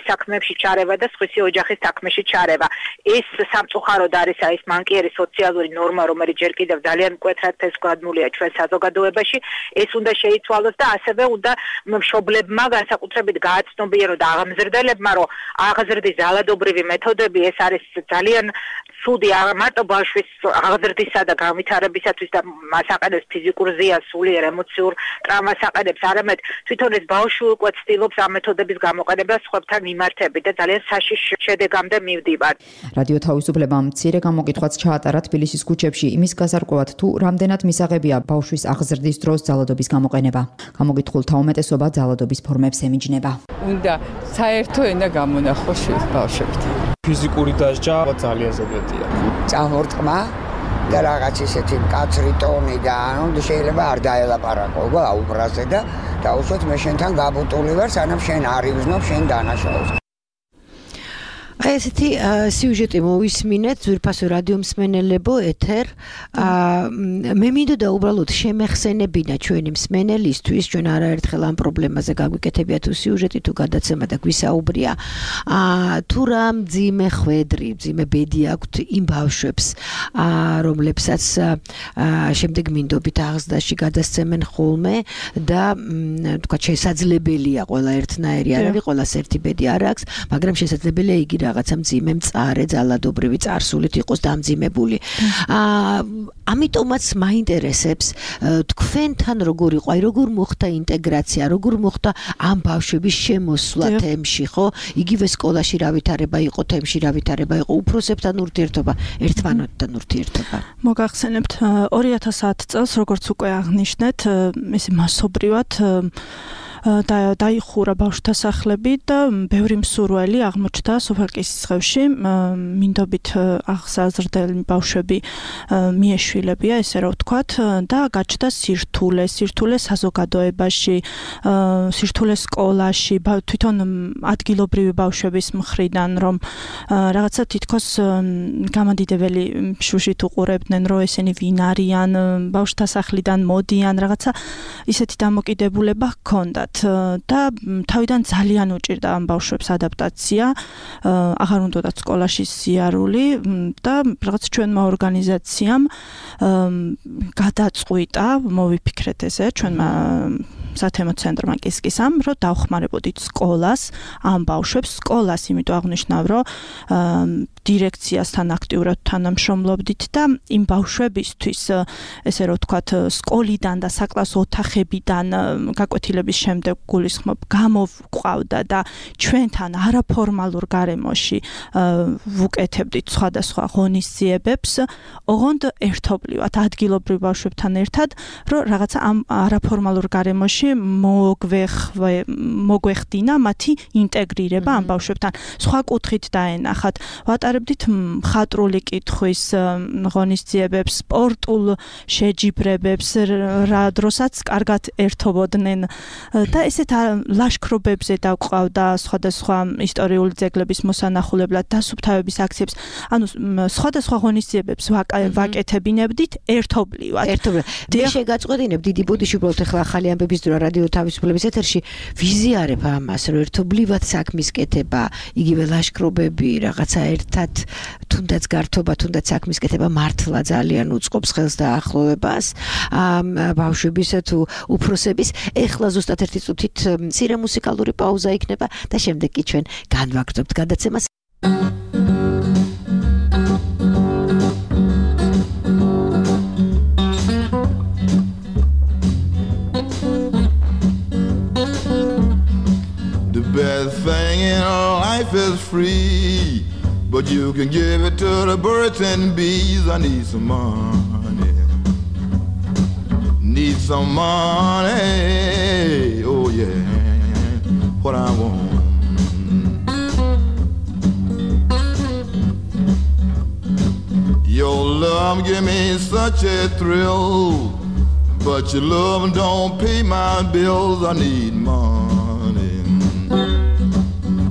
საქმეებში ჩარევა და სხვისი ოჯახის საქმეში ჩარევა. ეს სამწუხაროდ არის ეს მანკიერი სოციალური ნორმა, რომელიც ჯერ კიდევ ძალიან მკვეთრად თესგადმულია ჩვენ საზოგადოებაში, ეს უნდა შეიცვალოს და ასევე უნდა მშობლებმა განსაკუთრებით გააცნობიერონ და აღმზრდელებმა, რომ აღზრდის ძალადობრივი მეთოდები ეს არის ძალიან ცუდი არა მარტო ბავშვის აღზრდისა და განვითარებისათვის და მას აყენებს ფიზიკურ ზიანს, სულიერ ემოციურ ტრავმას აყენებს, არამედ თვითონ ეს ბავშვი უკვე ცდილობს ამ მეთოდების გამოყენებას სხვებთან მიმართებით და ძალიან საშიშ შედეგამდე მივდივარ. რადიო თავისუფლებამ მცირე გამოკითხვაც ჩაატარა თბილისის ქუჩებში იმის გასარკვევად, თუ რამდენად მისაღებია ბავშვის აღზრდის დროს ძალადობის გამოყენება. გამოკითხულთა უმეტესობა ძალადობის ფორმებს ემიჯნება. უნდა საერთო ენა გამონახოს ბავშვებთ. ფიზიკური დასჯა ძალიან ზოგადია. წამორტყმა და რაღაც ისეთი მკაცრი ტონი და ანუ შეიძლება არ დაელაპარაკო აუბრაზე და დაუშვათ მე შენთან გაბუტული ვარ, სანამ შენ არ ივზნობ შენ დანაშაულს. აი ესეთი სიუჟეტი მოვისმინეთ ძვირფასო რადიო მსმენელებო ეთერ. მე მინდოდა უბრალოდ შემეხსენებინა ჩვენი მსმენელისთვის, ჩვენ არაერთხელ ამ პრობლემაზე გაგვიკეთებია თუ სიუჟეტი თუ გადაცემა და გვისაუბრია. თუ რა მძიმე ხვედრი, მძიმე ბედი აქვთ იმ ბავშვებს, რომლებსაც შემდეგ მინდობით აღზრდაში გადასცემენ ხოლმე და თქვა შესაძლებელია ყველა ერთნაირი არ არის, ყველას ერთი ბედი არ აქვს, მაგრამ შესაძლებელია იგი რაღაცა მძიმე მწარე ძალადობრივი წარსულით იყოს დამძიმებული. ამიტომაც მაინტერესებს თქვენთან როგორ იყო, აი როგორ მოხდა ინტეგრაცია, როგორ მოხდა ამ ბავშვების შემოსვლა თემში, ხო? იგივე სკოლაში რა ვითარება იყო თემში, რა ვითარება იყო უფროსებთან ურთიერთობა, ერთმანეთთან ურთიერთობა. მოგახსენებთ 2010 წელს, როგორც უკვე აღნიშნეთ, ესე მასობრივად დაიხურა ბავშვთა სახლები და ბევრი მსურველი აღმოჩნდა სოფელ კისისხევში, მინდობით აღზრდელი ბავშვები მიეშვილებია, ესე რომ ვთქვათ, და გაჩნდა სირთულე საზოგადოებაში, სირთულე სკოლაში, თვითონ ადგილობრივი ბავშვების მხრიდან, რომ რაღაცა თითქოს გამადიდებელი შუშით უყურებდნენ, რომ ესენი ვინ არიან, ბავშვთა სახლიდან მოდიან, რაღაცა ისეთი დამოკიდებულება ჰქონდათ. და თავიდან ძალიან უჭირდა ამ ბავშვებს ადაპტაცია, აღარ უნდათ სკოლაში სიარული და რაღაც ჩვენმა ორგანიზაციამ გადაწყვიტა, მოვიფიქრეთ ესე, ჩვენმა სათემო ცენტრმა კისკისამ, რომ დავხმარებოდით სკოლას, ამ ბავშვებს სკოლას, იმიტომ აღნიშნავ, რომ დირექციასთან აქტიურად თანამშრომლობდით და იმ ბავშვებისთვის, ესე რომ ვთქვათ, სკოლიდან და საკლასო ოთახებიდან გაკვეთილების შემდეგ გულისხმობ გამოვყავდა და ჩვენთან არაფორმალურ გარემოში ვუკეთებდით სხვადასხვა ღონისძიებებს, ოღონდ ერთობლივად ადგილობრივ ბავშვებთან ერთად, რომ რაღაცა ამ არაფორმალურ გარემოში მოგვეხდინა მათი ინტეგრირება ამ ბავშვებთან. სხვა კუთხით დაენახათ. ვატარებდით ვივაყარებდით მხატვრული კითხვის ღონისძიებებს, სპორტულ შეჯიბრებებს, რა დროსაც კარგად ერთობოდნენ და ესეთ ლაშქრობებზე დაგვყავდა სხვადასხვა ისტორიული ძეგლების მოსანახულებლად დასუფთავების აქციებს. ანუ სხვადასხვა ღონისძიებებს ვაკეთებინებდით ერთობლივად. მე შეგაწყვეტინებ დიდი ბოდიში უბრალოდ ახლა ახალი ამბების დრო რადიო თავისუფლების ეთერში ვიზიარებ ამას, რომ ერთობლივად საქმის კეთება, იგივე ლაშქრობები, რაღაცა ერთად თუნდაც გართობა, თუნდაც საქმის კეთება მართლა ძალიან უწყობს ხელს და ახლოვებას ბავშვების თუ უფროსების. ეხლა ზუსტად ერთი წუთით მცირე მუსიკალური პაუზა იქნება და შემდეგ კი ჩვენ განვაგრძობთ გადაცემას. The best thing in life is free, but you can give it to the birds and bees. I need some money. Need some money. Oh yeah, what I want. Your love give me such a thrill, but your love don't pay my bills. I need money.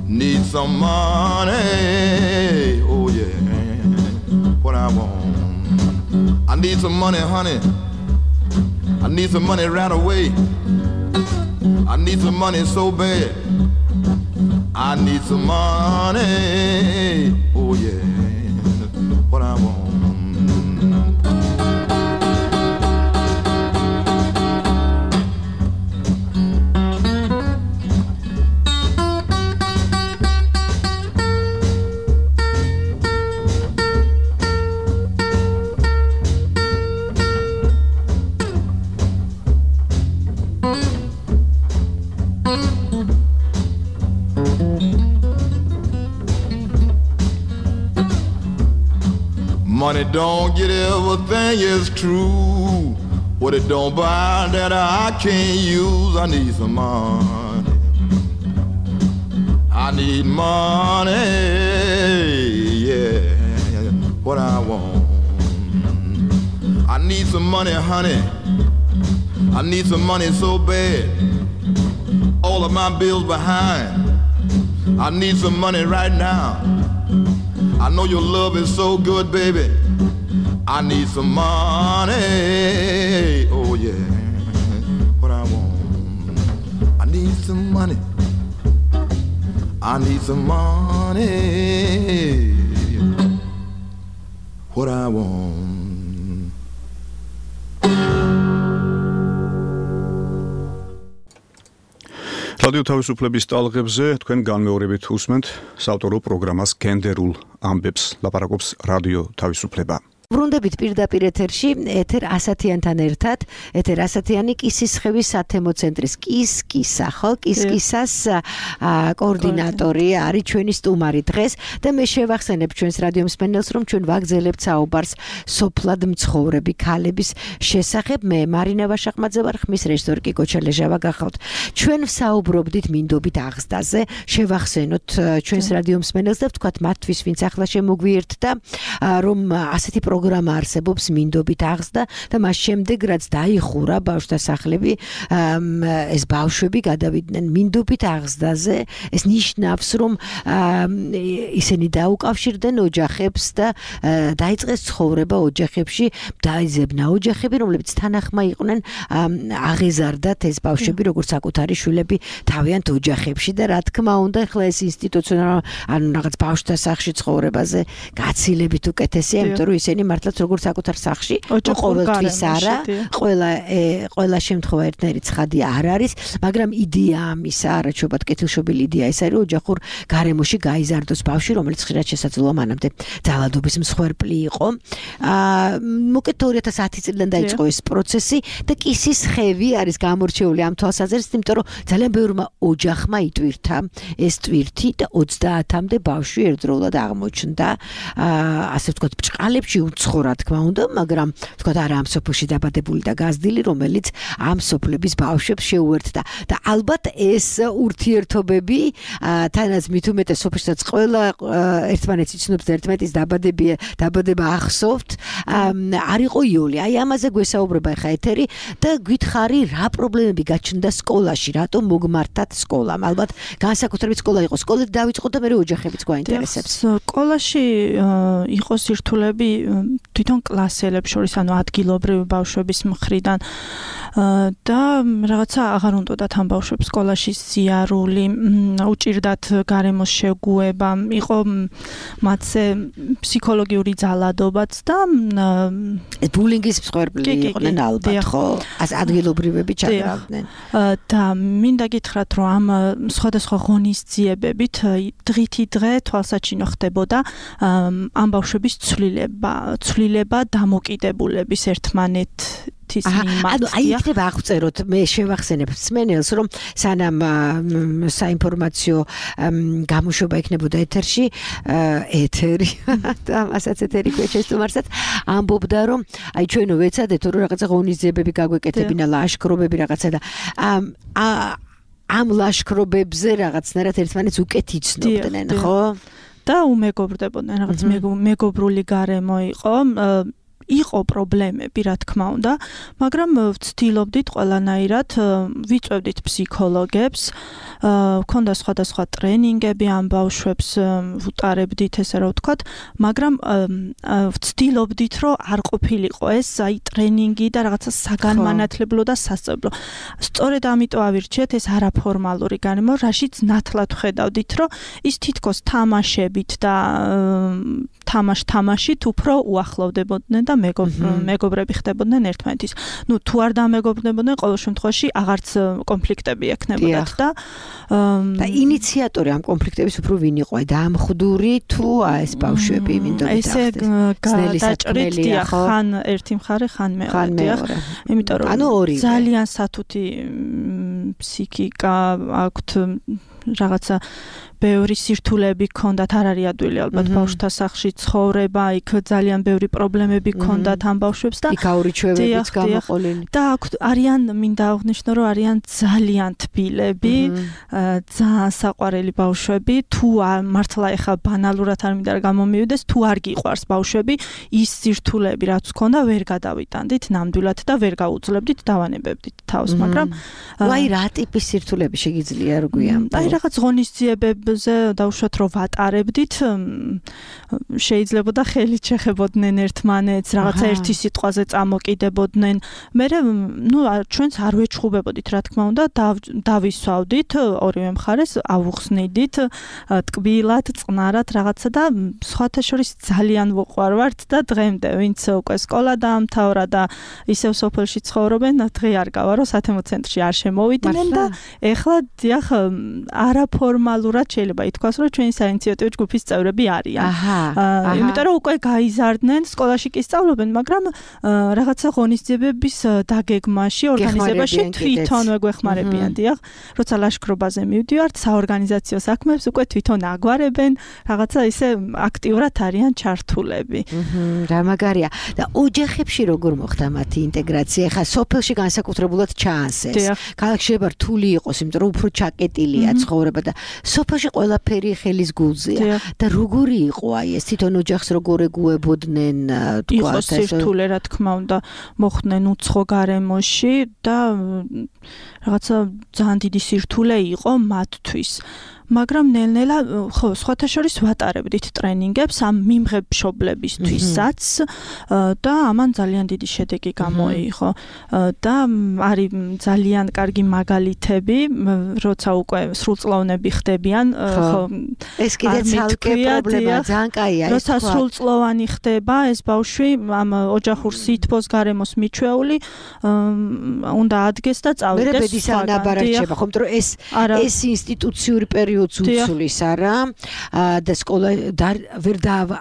Need some money. Oh yeah, what I want. I need some money, honey. I need some money right away. I need some money so bad. I need some money. Oh yeah, what I want. Money don't get everything is true. What it don't buy that I can't use. I need some money. I need money. Yeah, what I want. I need some money, honey. I need some money so bad. All of my bills behind. I need some money right now. I know your love is so good, baby. I need some money. Oh yeah, what I want. I need some money. I need some money. What I want. რადიო თავისუფლების ტალღებზე თქვენ განმეორებით უსმენთ საავტორო პროგრამას გენდერულ ამბებს, ლაპარაკობს რადიო თავისუფლება. ბრუნდებით პირდაპირ ეთერში, ეთერ ასათიანთან ერთად, ეთერ ასათიანი კისისხევის სათემო ცენტრის კისკისა, ხო, კისკისას კოორდინატორი არის ჩვენი სტუმარი დღეს და მე შევახსენებ ჩვენს რადიო მსმენელს, რომ ჩვენ ვაგზელებთ საუბარს სოფლად მცხოვრები ქალების შესახებ. მე მარინა ვაშახმაძე ვარ, ხმის რეჟისორი კი გოჩა ლეჟავა გახავთ. ჩვენ ვსაუბრობდით მინდობით აღზრდაზე, შევახსენოთ ჩვენს რადიო მსმენელს და ვთქვათ მათთვის, ვინც ახლა შემოგვიერთდა, რომ ასეთი პროგრამა არსებობს მინდობით აღზრდა და მას შემდეგ რაც დაიხურა ბავშვთა სახლები, ეს ბავშვები გადავიდნენ მინდობით აღზრდაზე. ეს ნიშნავს, რომ ისინი დაუკავშირდნენ ოჯახებს და დაიწყეს ცხოვრება ოჯახებში, დაიძებნა ოჯახები, რომლებიც თანახმა იყვნენ, აღეზარდათ ეს ბავშვები როგორც საკუთარი შვილები თავიანთ ოჯახებში და რა თქმა უნდა, ახლა ეს ინსტიტუციონალ ანუ რაღაც ბავშვთა სახლში ცხოვრებაზე გაცილებით უკეთესია, იმიტომ რომ ისინი მართლაც როგორც საკუთარ სახლში ყოველთვის არა, ყველა შემთხვევა ერთნაირი ცხადი არ არის, მაგრამ იდეა ამისა, არაჩვეულად კეთილშობილი იდეა ეს არის, ოჯახურ გარემოში გაიზარდოს ბავშვი, რომელიც ხშირად შესაძლოა მანამდე ძალადობის მსხვერპლი იყო. მოკეთ 2010 წლიდან დაიწყო ეს პროცესი და კისისხევი არის გამორჩეული ამ თვალსაზრისით, იმიტომ რომ ძალიან ბევრმა ოჯახმა იტვირთა ეს ტვირთი და 30-მდე ბავშვი ერთდროულად აღმოჩნდა, ასე ვთქვათ, ბჭყალებში უცხო რა თქმა უნდა, მაგრამ თქვა არა ამ სოფელში დაბადებული და გაზრდილი, რომელიც ამ სოფლების ბავშვებს შეუერთდა და ალბათ ეს ურთიერთობები თანაც მით უმეტეს სოფელშიც ყველა ერთმანეთს იცნობს და ერთმანეთის დაბადება ახსოვთ, არ იყო იოლი. აი ამაზე გვესაუბრება ხა ეთერი და გითხარი რა პრობლემები გაჩნდა სკოლაში, რატომ მოგმართათ სკოლამ. ალბათ განსაკუთრებით სკოლა იყო. სკოლით დავიწყოთ და მე ოჯახებიც გვაინტერესებს. სკოლაში იყო სირთულეები თვითონ კლასელებს შორის, ანუ ადგილობრივი ბავშვების მხრიდან და რაღაცა აღარ უნდათ ამ ბავშვებს სკოლაში სიარული, უჭირდათ გარემოს შეგუება, იყო მათზე ფსიქოლოგიური ძალადობაც და ბულინგის მსხვერპლი იყვნენ ალბათ, ხო? ადგილობრივები ჩაგრავდნენ. და მინდა გითხრათ, რომ ამ სხვადასხვა ღონისძიებებით დღითი დღე თვალსაჩინო ხდებოდა ამ ბავშვების ცვლილება დამოკიდებულების ერთმანეთის მიმართ. აი იქნება აღწეროთ, მე შევახსენებ მსმენელს, რომ სანამ საინფორმაციო გამოშვება იქნებოდა ეთერი და მასაც ეთერი ქვეჩეს თუმარსაც ამბობდა, რომ აი ჩვენო ვეცადეთ, რომ რაღაცა ღონისძიებები გაგვეკეთებინა, ლაშქრობები რაღაცა და ამ ლაშქრობებზე რაღაცნაირად ერთმანეთს უკეთ იცნობდნენ, ხო? და უმეგობრდებოდნენ, რაღაც მეგობრული გარემო იყო პრობლემები, რა თქმა უნდა, მაგრამ ვცდილობდით ყველანაირად, ვიწვევდით ფსიქოლოგებს, ქონდა სხვადასხვა ტრენინგები ამ ბავშვებს ვუტარებდით, ესე რა ვთქვათ, მაგრამ ვცდილობდით, რომ არ ყოფილიყო ეს აი ტრენინგი და რაღაცა საგანმანათლებლო და სასწავლო. სწორედ ამიტომ ავირჩიეთ ეს არაფორმალური გარემო, რაშიც ნათლად ვხედავდით, რომ ის თითქოს თამაშებით და თამაშით უფრო უახლოვდებოდნენ და მეგობრები ხდებოდნენ ერთმანეთის. ნუ თუ არ დამეგობრდებოდნენ, ყოველ შემთხვევაში აღარც კონფლიქტები ექნებოდათ და ინიციატორი ამ კონფლიქტების უფრო ვინ იყო? აი დაამხდური თუ ეს ბავშვები მინდოდა ესე დაჭრით, ხან ერთი მხარე, ხან მეორე. იმიტომ რომ ძალიან სათუთი ფსიქიკა აქვთ, რაღაცა ბევრი სირთულეები ჰქონდათ, არ არის ადვილი ალბათ ბავშვთა სახლში ცხოვრება, იქ ძალიან ბევრი პრობლემები ჰქონდათ ამ ბავშვებს და იქაურიჩვევებიც გამოყოლილი. და არიან, მინდა აღვნიშნო, რომ არიან ძალიან თბილები, ძალიან საყვარელი ბავშვები, თუ მართლა ეხა ბანალურად არ მინდა გამომივიდეს, თუ არ გიყვარს ბავშვები, ის სირთულეები რაც ჰქონდა, ვერ გადავიტანდით ნამდვილად და ვერ გაუძლებდით, დავანებებდით თავს, მაგრამ აი რა ტიპის სირთულეები შეგიძლია რო გვიამბო? აი რაღაც ღონისძიებებზე დავუშვათ, რომ ვატარებდით, შეიძლება და ხელით შეხებოდნენ ერთმანეთს, რაღაცა ერთი სიტყვაზე წამოკიდებოდნენ. მე ჩვენც არ ვეჩხუბებოდით, რა თქმა უნდა, დავისვავდით ორივე მხარეს, ავუხსნიდით ტკბილად, წყნარად რაღაცა და სხვათა შორის ძალიან ვუყვარვართ და დღემდე ვინც უკვე სკოლა დაამთავრა და ისევ სოფელში ცხოვრობენ, დღე არ გავა, რომ სათემო ცენტრში არ შემოვიდნენ და ეხლა დიახ არაფორმალურად შეიძლება ითქვას, რომ ჩვენი საინიციატივო ჯგუფის წევრები არიან. იმიტომ რომ უკვე გაიზარდნენ, სკოლაში კი სწავლობენ, მაგრამ რაღაცა ღონისძიებების დაგეგმაში, ორგანიზებაში თვითონვე გვეხმარებიან, დიახ. როცა ლაშქრობაზე მივდივართ, საორგანიზაციო საქმეებს უკვე თვითონ აგვარებენ, რაღაცა ისე აქტიურად არიან ჩართულები. რა მაგარია. და ოჯახებში როგორ მოხდა მათი ინტეგრაცია? ხა სოფელში განსაკუთრებულად ჩანს ეს. ქალაქში შეიძლება რთული იყოს, იმიტომ რომ უფრო ჩაკეტილია ცხოვრება და სოფელში ყველაფერი ხელის გულზეა. და როგორი იყო აი ეს თვითონ ოჯახს როგორ ეგუებოდნენ, იყო სირთულე, რა თქმა უნდა, მოხდნენ უცხო გარემოში და რაღაცა ძალიან დიდი სირთულე იყო მათთვის. მაგრამ ნელ-ნელა ხო, სხვათა შორის ვატარებდით ტრენინგებს ამ მიმღებშობლებისთვისაც და ამან ძალიან დიდი შედეგი გამოიღო და არის ძალიან კარგი მაგალითები, როცა უკვე სრულწლოვნები ხდებიან, ხო, ეს კიდე ცალკე პრობლემა, ძალიან კაია ეს. როცა სრულწლოვანი ხდება ეს ბავშვი ამ ოჯახურ სითბოს გარემოს მიჩვეული, უნდა ადგეს და წავიდეს. მერე ბედის ანაბარარჩება, ხომ, რომ ეს ინსტიტუციური პერიოდი პერიოდს უცვლის არა და სკოლა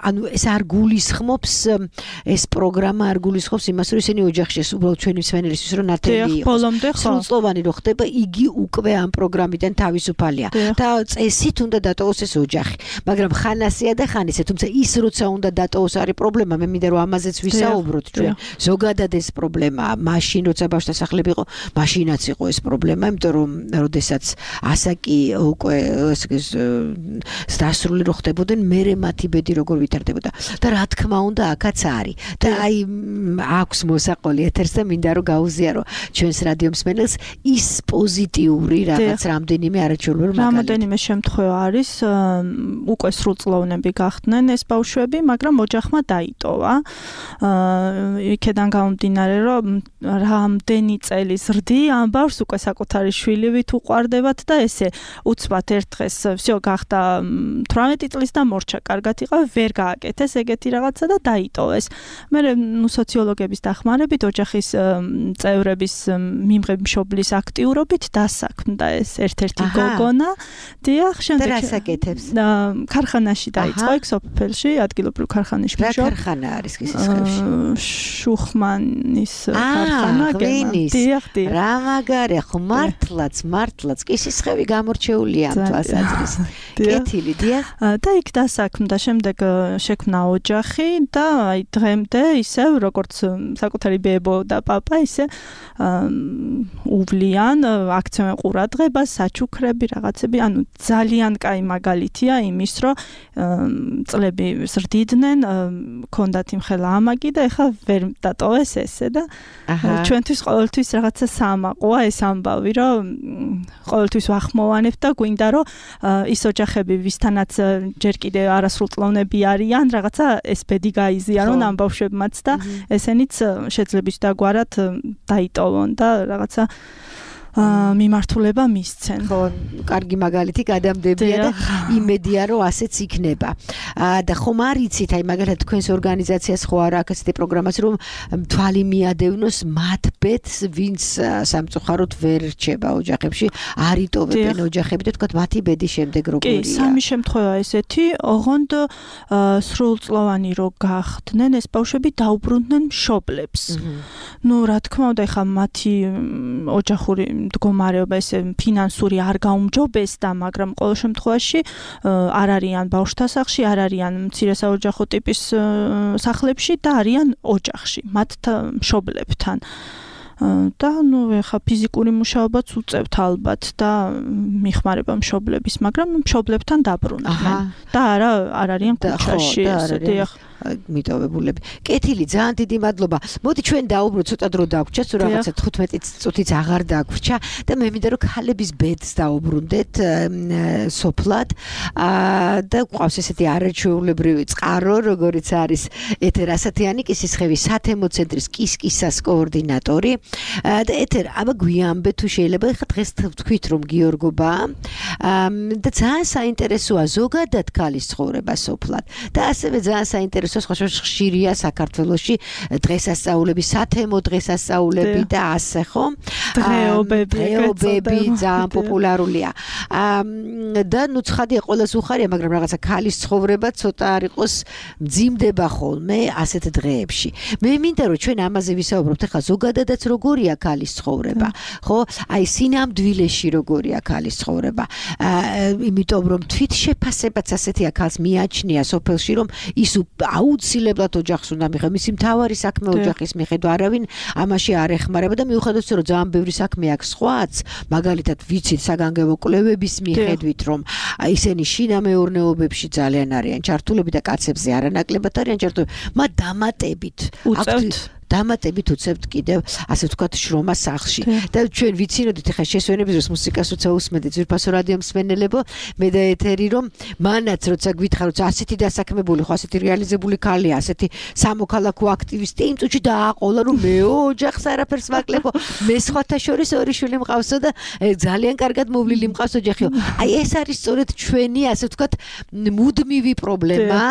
ანუ ეს არ გულისხმობს ეს პროგრამა არ გულისხმობს იმას რომ ისინი ოჯახში უბრალოდ ჩვენი მსმენელისთვის რომ ნათელი იყოს სრულწლოვანი რო ხდება იგი უკვე ამ პროგრამიდან თავისუფალია და წესით უნდა დატოვოს ეს ოჯახი მაგრამ ხანასია და ხანისე თუმცა ის როცა უნდა დატოვოს არის პრობლემა მე მინდა რომ ამაზეც ვისაუბროთ ჩვენ ზოგადად ეს პრობლემაა მაშინ როცა ბავშვთა სახლები იყო მაშინაც იყო ეს პრობლემა იმიტომ რომ როდესაც ასაკი უკვე დასრული რო ხდებოდნენ მერე მათი ბედი როგორ ვითარდებოდა და რა თქმა უნდა აქაც არის და აი აქვს მოსაყოლი ეთერს და მინდა რომ გაუზიარო ჩვენს რადიო მსმენელს ის პოზიტიური რაღაც რამდენიმე არაჩვეულებრივ მაგალითი რამდენიმე შემთხვევა არის უკვე სრულწლოვნები გახდნენ ეს ბავშვები მაგრამ ოჯახმა დაიტოვა იქედან გამომდინარე რომ რამდენი წელი ზრდი ამ ბავშვს უკვე საკუთარი შვილივით უყვარდებათ და ესე უცბად ერთ დღეს всё გახდა 18 წლის და მორჩა კარგად იყო ვერ გააკეთეს ეგეთი რაღაცა და დაიტოვეს მე სოციოლოგების დახმარებით ოჯახის წევრების მიმღებშობლის აქტიურობით დასაქმდა ეს ერთ-ერთი გოგონა დიახ შემდეგ და რასაკეთებს ქარხანაში დაიწყო იქ სოფელში ადგილობრივ ქარხანაში რა ქარხანა არის კისისხევში შუხმანის ქარხანა დიახ რა მაგარი ხო მართლაც კისისხევი გამორჩეულია ამ თვალსაზრისით კეთილი დიახ და იქ დასაქმდა შემდეგ შექმნა ოჯახი და აი დღემდე ისევ როგორც საკუთარი ბებო და პაპა ისე უვლიან აქცევენ ყურადღებას საჩუქრები რაღაცები ანუ ძალიან კაი მაგალითია იმის რომ წლები ზრდიდნენ ქონდათ იმხელა ამაგი და ეხლა ვერ დატოვეს ესე და ჩვენთვის ყოველთვის რაღაცა სამაყოა ეს ამბავი რომ ყოველთვის ვახმოვანებთ და გვინდა რომ ის ოჯახები ვისთანაც ჯერ კიდე არასრულწლოვნები არიან რაღაცა ეს ბედი გაიზიარონ ამ ბავშვებმაც და ესენიც შეძლებს დაგვარად დაიტოვონ და რაღაცა მიმართულება მისცენ. ხო, კარგი მაგალითი გადამდებია და იმედია რომ ასეც იქნება. და ხომ არ იცით, აი მაგალითად თქვენს ორგანიზაციას ხო არა აქ ესეთი პროგრამაც რომ თვალი მიადევნოს მათ ბედს, ვინც სამწუხაროდ ვერ რჩება ოჯახებში, არ იტოვებენ ოჯახები და თქვათ მათი ბედის შემდეგ როგორია. კი, სამი შემთხვევა ესეთი, ოღონდ სრულწლოვანი რო გახდნენ ეს ბავშვები დაუბრუნდნენ მშობლებს. ნუ რა თქმა უნდა, ეხლა მათი ოჯახური მდგომარეობა ესე ფინანსური არ გაუმჯობესდა, მაგრამ ყოველ შემთხვევაში არ არიან ბავშვთა სახლში, არ არიან მცირე საოჯახო ტიპის სახლებში და არიან ოჯახში, მათ მშობლებთან. და ნუ ეხა ფიზიკური მუშაობაც უწევთ ალბათ და მიხმარება მშობლების, მაგრამ მშობლებთან დაბრუნდნენ და არ არიან ქუჩაში, ესეთი მიტოვებულები. კეთილი, ძალიან დიდი მადლობა. მოდი ჩვენ დაუბრუნდეთ, ცოტა დრო დაგვჭა, თუ რაღაცა 15 წუთიც აღარ დაგვჭა და მე მინდა რომ ქალების ბედს დაუბრუნდეთ სოფლად. და გვყავს ესეთი არაჩვეულებრივი წყარო, როგორიც არის ეთერ ასათიანი კისისხევის სათემო ცენტრის კისკისას კოორდინატორი. და ეთერ აბა გვიამბე თუ შეიძლება ხა დღეს თქვით რომ გიორგობაა. და ძალიან საინტერესოა ზოგადად ქალის ცხოვრება სოფლად. და ასევე ძალიან საინტერესოა ხშირია საქართველოში დღესასწაულები, სათემო დღესასწაულები და ასე ხო? დღეობები ძალიან პოპულარულია. და ნუ ცხადია ყოველს უხარია, მაგრამ რაღაცა ქალის ცხოვრება ცოტა არ იყოს მძიმდება ხოლმე ასეთ დღეებში. მე მინდა რომ ჩვენ ამაზე ვისაუბროთ, ახლა ზოგადადაც როგორია ქალის ცხოვრება, ხო? აი სინამდვილეში როგორია ქალის ცხოვრება. იმიტომ რომ თვითშეფასებაც ასეთია ქალს მიაჩნია სოფელში, რომ ის აუცილებლად ოჯახს უნდა მიიღო, მისი მთავარი საქმე ოჯახის მიხედვა, არავინ ამაში არ ეხმარება და მიუხედავად რომ ძალიან ბევრი საქმე აქვს სხვაც, მაგალითად ვიცით საგანგებო კვლევების მიხედვით, რომ ისინი შინამეურნეობებში ძალიან არიან ჩართულები და კაცებზე არანაკლებად არიან ჩართულები, მათ დამატებით უწევთ კიდევ ასე ვთქვათ შრომა სახლში და ჩვენ ვიცინოდით ახლა შესვენების დროს მუსიკას როცა უსმენთ ძვირფასო რადიო მსმენელებო მე და ეთერი რომ მანაც როცა გვითხრათ ასეთი დასაქმებული ხო ასეთი რეალიზებული ქალია ასეთი სამოქალაქო აქტივისტი იმ წუთში დააყოლა რომ მე ოჯახს არაფერს ვაკლებო მე სხვათა შორის ორი შვილი მყავსო და ძალიან კარგად მოვლილი მყავს ოჯახიო აი ეს არის სწორედ ჩვენი ასე ვთქვათ მუდმივი პრობლემა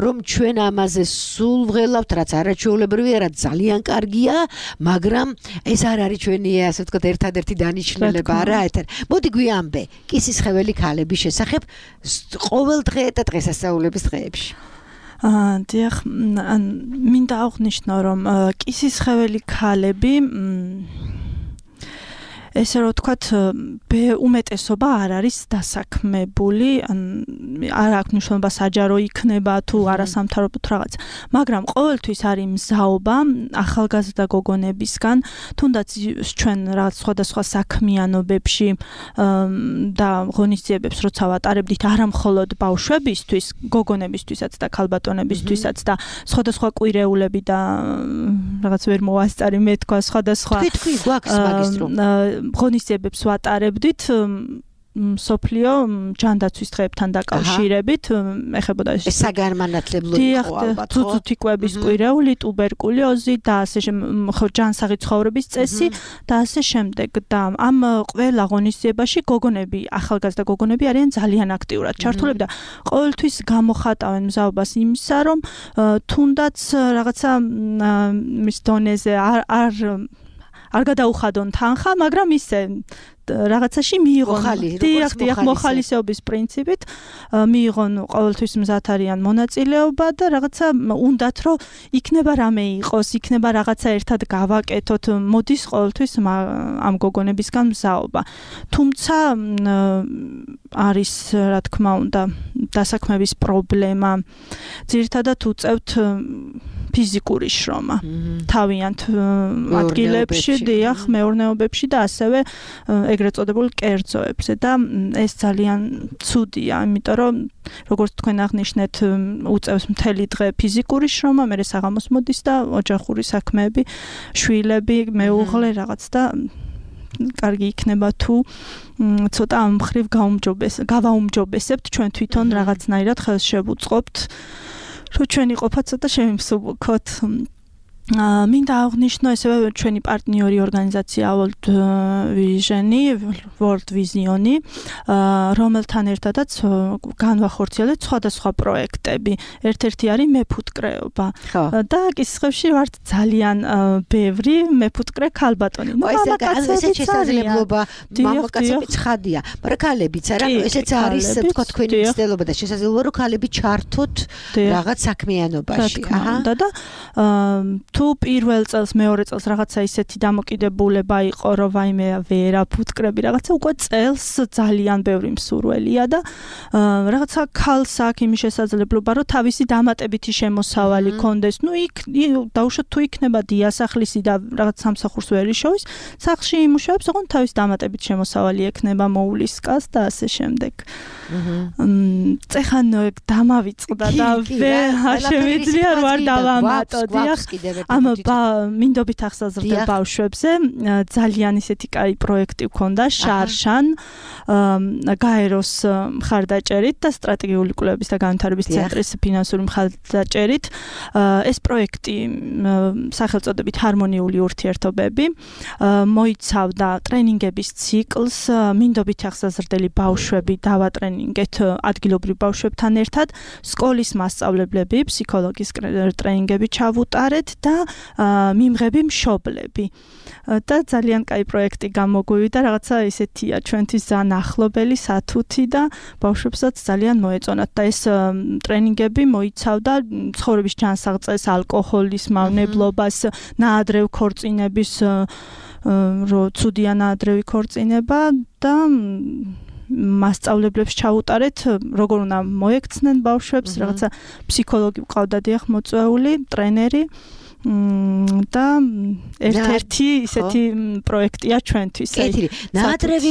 რომ ჩვენ ამაზე სულ ვღელავთ რაც არაჩვეულებრივია რაც ძალიან ძალიან კარგია, მაგრამ ეს არ არის ჩვენი, ასე ვთქვათ, ერთადერთი დანიშნულება არა ეთერ. მოდი გვიამბე, კისისხეველი ქალების შესახებ ყოველ დღე და დღესასწაულების დღეებში. დიახ, მინდა აღვნიშნო, რომ კისისხეველი ქალები ესე რომ ვთქვათ, უმეტესობა არ არის დასაქმებული, არ აქვს მნიშვნელობა საჯარო იქნება თუ არასამთავრობო თუ რაღაც, მაგრამ ყოველთვის არის მზაობა ახალგაზრდა გოგონებისგან, თუნდაც ჩვენ რაღაც სხვადასხვა საქმიანობებში და ღონისძიებებს როცა ვატარებდით, არა მხოლოდ ბავშვებისთვის, გოგონებისთვისაც და ქალბატონებისთვისაც და სხვადასხვა კვირეულები და რაღაც ვერ მოვასწარი მე თქვა სხვადასხვა თქვი გვაქვს მაგისტრო ღონისძიებებს ვატარებდით სოფლიო ჯანდაცვის დღეებთან დაკავშირებით ეხებოდა ეს საგანმანათლებლო იყო ალბათ ხო? თუთუთიკვების კვირეული, ტუბერკულოზი და ასე ჯანსაღი ცხოვრების წესი და ასე შემდეგ და ამ ყველა ღონისძიებაში გოგონები, ახალგაზრდა გოგონები არიან ძალიან აქტიურად ჩართულები და ყოველთვის გამოხატავენ მზაობას იმისა, რომ თუნდაც რაღაცა მის დონეზე არ გადაუხადონ თანხა, მაგრამ ისე რაღაცაში მიიღონ მოხალისეობის პრინციპით მიიღონ ყოველთვის მზად არიან მონაწილეობა და რაღაცა უნდათ რომ იქნება რამე იყოს, იქნება რაღაცა ერთად გავაკეთოთ, მოდის ყოველთვის ამ გოგონებისგან მზაობა. თუმცა არის რა თქმა უნდა დასაქმების პრობლემა. ძირითადად უწევთ ფიზიკური შრომა. თავიანთ ადგილებში, დიახ, მეურნეობებში და ასევე ეგრეთ წოდებულ კერძოებზე და ეს ძალიან ცუდია, იმიტომ რომ როგორც თქვენ აღნიშნეთ, უწევს მთელი დღე ფიზიკური შრომა, მერე საღამოს მოდის და ოჯახური საქმეები, შვილები, მეუღლე რაღაც და კარგი იქნება თუ ცოტა ამ მხრივ გავაუმჯობესებთ ჩვენ თვითონ რაღაცნაირად ხელს შევუწყობთ, რომ ჩვენი ყოფა ცოტა შევიმსუბუქოთ. მინდა აღვნიშნო ასევე ჩვენი პარტნიორი ორგანიზაცია World Vision, რომელთან ერთადაც განვახორციელეთ სხვადასხვა პროექტები. ერთ-ერთი არის მეფუტკრეობა და კისისხევში ვართ ძალიან ბევრი მეფუტკრე ქალბატონი. ესეც შესაძლებლობა მამაკაცები ცხადია, მაგრამ ქალებიც არა, ესეც არის თქვა თქვენი მცდელობა და შესაძლებლობა რომ ქალები ჩართოთ რაღაც საქმიანობაში. და თუ პირველ წელს, მეორე წელს რაღაცა ისეთი დამოკიდებულება იყო, რომ ვაიმე ვერა ფუტკრები, რაღაცა უკვე წელს ძალიან ბევრი მსურველია და რაღაცა ქალს აქვს იმის შესაძლებლობა, რომ თავისი დამატებითი შემოსავალი კონდეს. ნუ იქ დაუშვათ თუ იქნება დიასახლისი და რაღაც სამსახურს ვერ იშოვის, სახლში იმუშავებს, ოღონდ თავის დამატებით შემოსავალი ექნება, მოულისკას და ასე შემდეგ. წეხან დამავიწყდა და შემიძლია რომ არ დავამატო, დიახ. ამ მინდობით ახსოვდა ბავშვებზე ძალიან ისეთი კაი პროექტი ჰქონდა შარშან გაეროს მხარდაჭერით და სტრატეგიული კვლევების და განვითარების ცენტრის ფინანსური მხარდაჭერით. ეს პროექტი სახელწოდებით ჰარმონიული ურთიერთობები მოიცავდა ტრენინგების ციკლს, მინდობით ახსოვდელი ბავშვები დავატრენინგეთ ადგილობრივ ბავშვებთან ერთად, სკოლის მასწავლებლები, ფსიქოლოგის ტრენინგები ჩავუტარეთ და მიმღები მშობლები. და ძალიან კაი პროექტი გამოგვივიდა, რაღაცა ისეთია ჩვენთვის ძალიან ახლობელი, სათუთი და ბავშვებსაც ძალიან მოეწონათ და ეს ტრენინგები მოიცავდა ცხოვრების ჯანსაღწევს, ალკოჰოლის მავნებლობას, ნაადრევ ქორწინების ცუდია ნაადრევი ქორწინება და მასწავლებლებს ჩაუტარეთ, როგორ უნდა მოექცნენ ბავშვებს, რაღაცა ფსიქოლოგი ყავდა დიახ მოწვეული, ტრენერი და ერთ-ერთი ისეთი პროექტია ჩვენთვის. ნაადრევი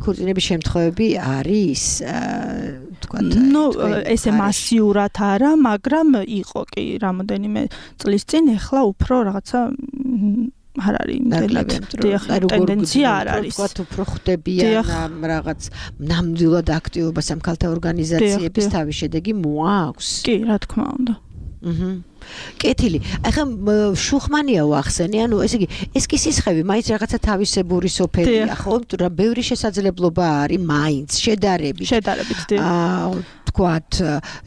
ქორწინების შემთხვევები არის თქვათ. ესე მასიურად არა, მაგრამ იყო კი რამოდენიმე წლის წინ, ეხლა უფრო რაღაცა არ არის იმდენად ტენდენცია არ არის. თქვათ უფრო ხდებიან რაღაც ნამდვილად აქტივობას ამ ქალთა ორგანიზაციების თავის შედეგი მოაქვს. კი, რა თქმა უნდა. კეთილი. ახლა შუხმანია ვახსენე, ანუ ესე იგი ეს კი სისხლები, მაინც რაღაცა თავისებური სოფელია, ხო? რა ბევრი შესაძლებლობა არის, მაინც შედარებით. თქვათ,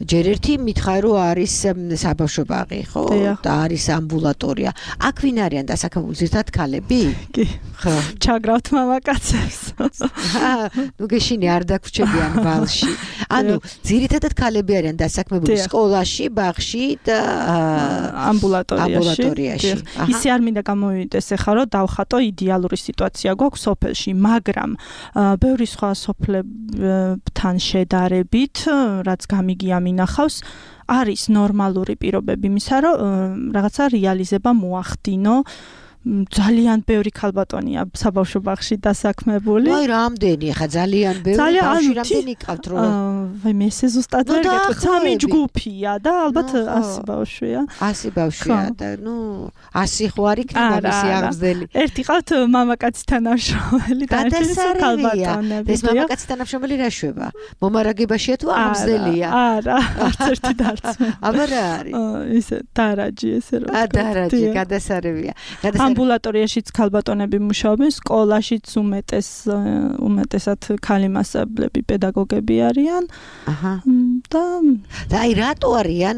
ჯერ ერთი მითხარი რომ არის საბავშვო ბაღი, ხო? და არის ამბულატორია. აქ ვინ არიან დასაქმებული ზირთად ქალები? კი. ხო, ჩაგრავთ მამაკაცებს. ნუ გეშინი არ დაგვრჩებიან ვალში. ანუ ძირითადად ქალები არიან დასაქმებული სკოლაში, ბაღში და ამბულატორიაში. ისე არ მინდა გამოვიდეს ახლა რომ დავხატო იდეალური სიტუაცია გვაქვს სოფელში, მაგრამ ბევრი სხვა სოფლებთან შედარებით, რაც გამიგია მინახავს, არის ნორმალური პირობები იმისა, რომ რაღაცა რეალიზება მოახდინო. ძალიან ბევრი ქალბატონია საბავშვო ბაღში დასაქმებული. აი რამდენი ხა ძალიან ბევრი ბავშვი რამდენი ყავთ რომ ვაი მე ესე ზუსტად ვერ გეტყვი 3 ჯგუფია და ალბათ 100 ბავშვია. 100 ბავშვია და ნუ 100 ხო არ იქნება მისი აღზრდელი. ერთი ყავთ მამაკაცი თანამშრომელი და ერთი ქალბატონები. ეს მამაკაცი თანამშრომელი რა შვება? მომარაგებაშია თუ აღზრდელია? არა, არც ერთი და არც მე. აბა რა არის? ისე დარაჯი ესე რომ. დარაჯი გადასარევია. ამბულატორიაშიც ქალბატონები მუშაობენ, სკოლაშიც უმეტესად ქალი მასწავლებლები, პედაგოგები არიან. აჰა. და აი რატო არიან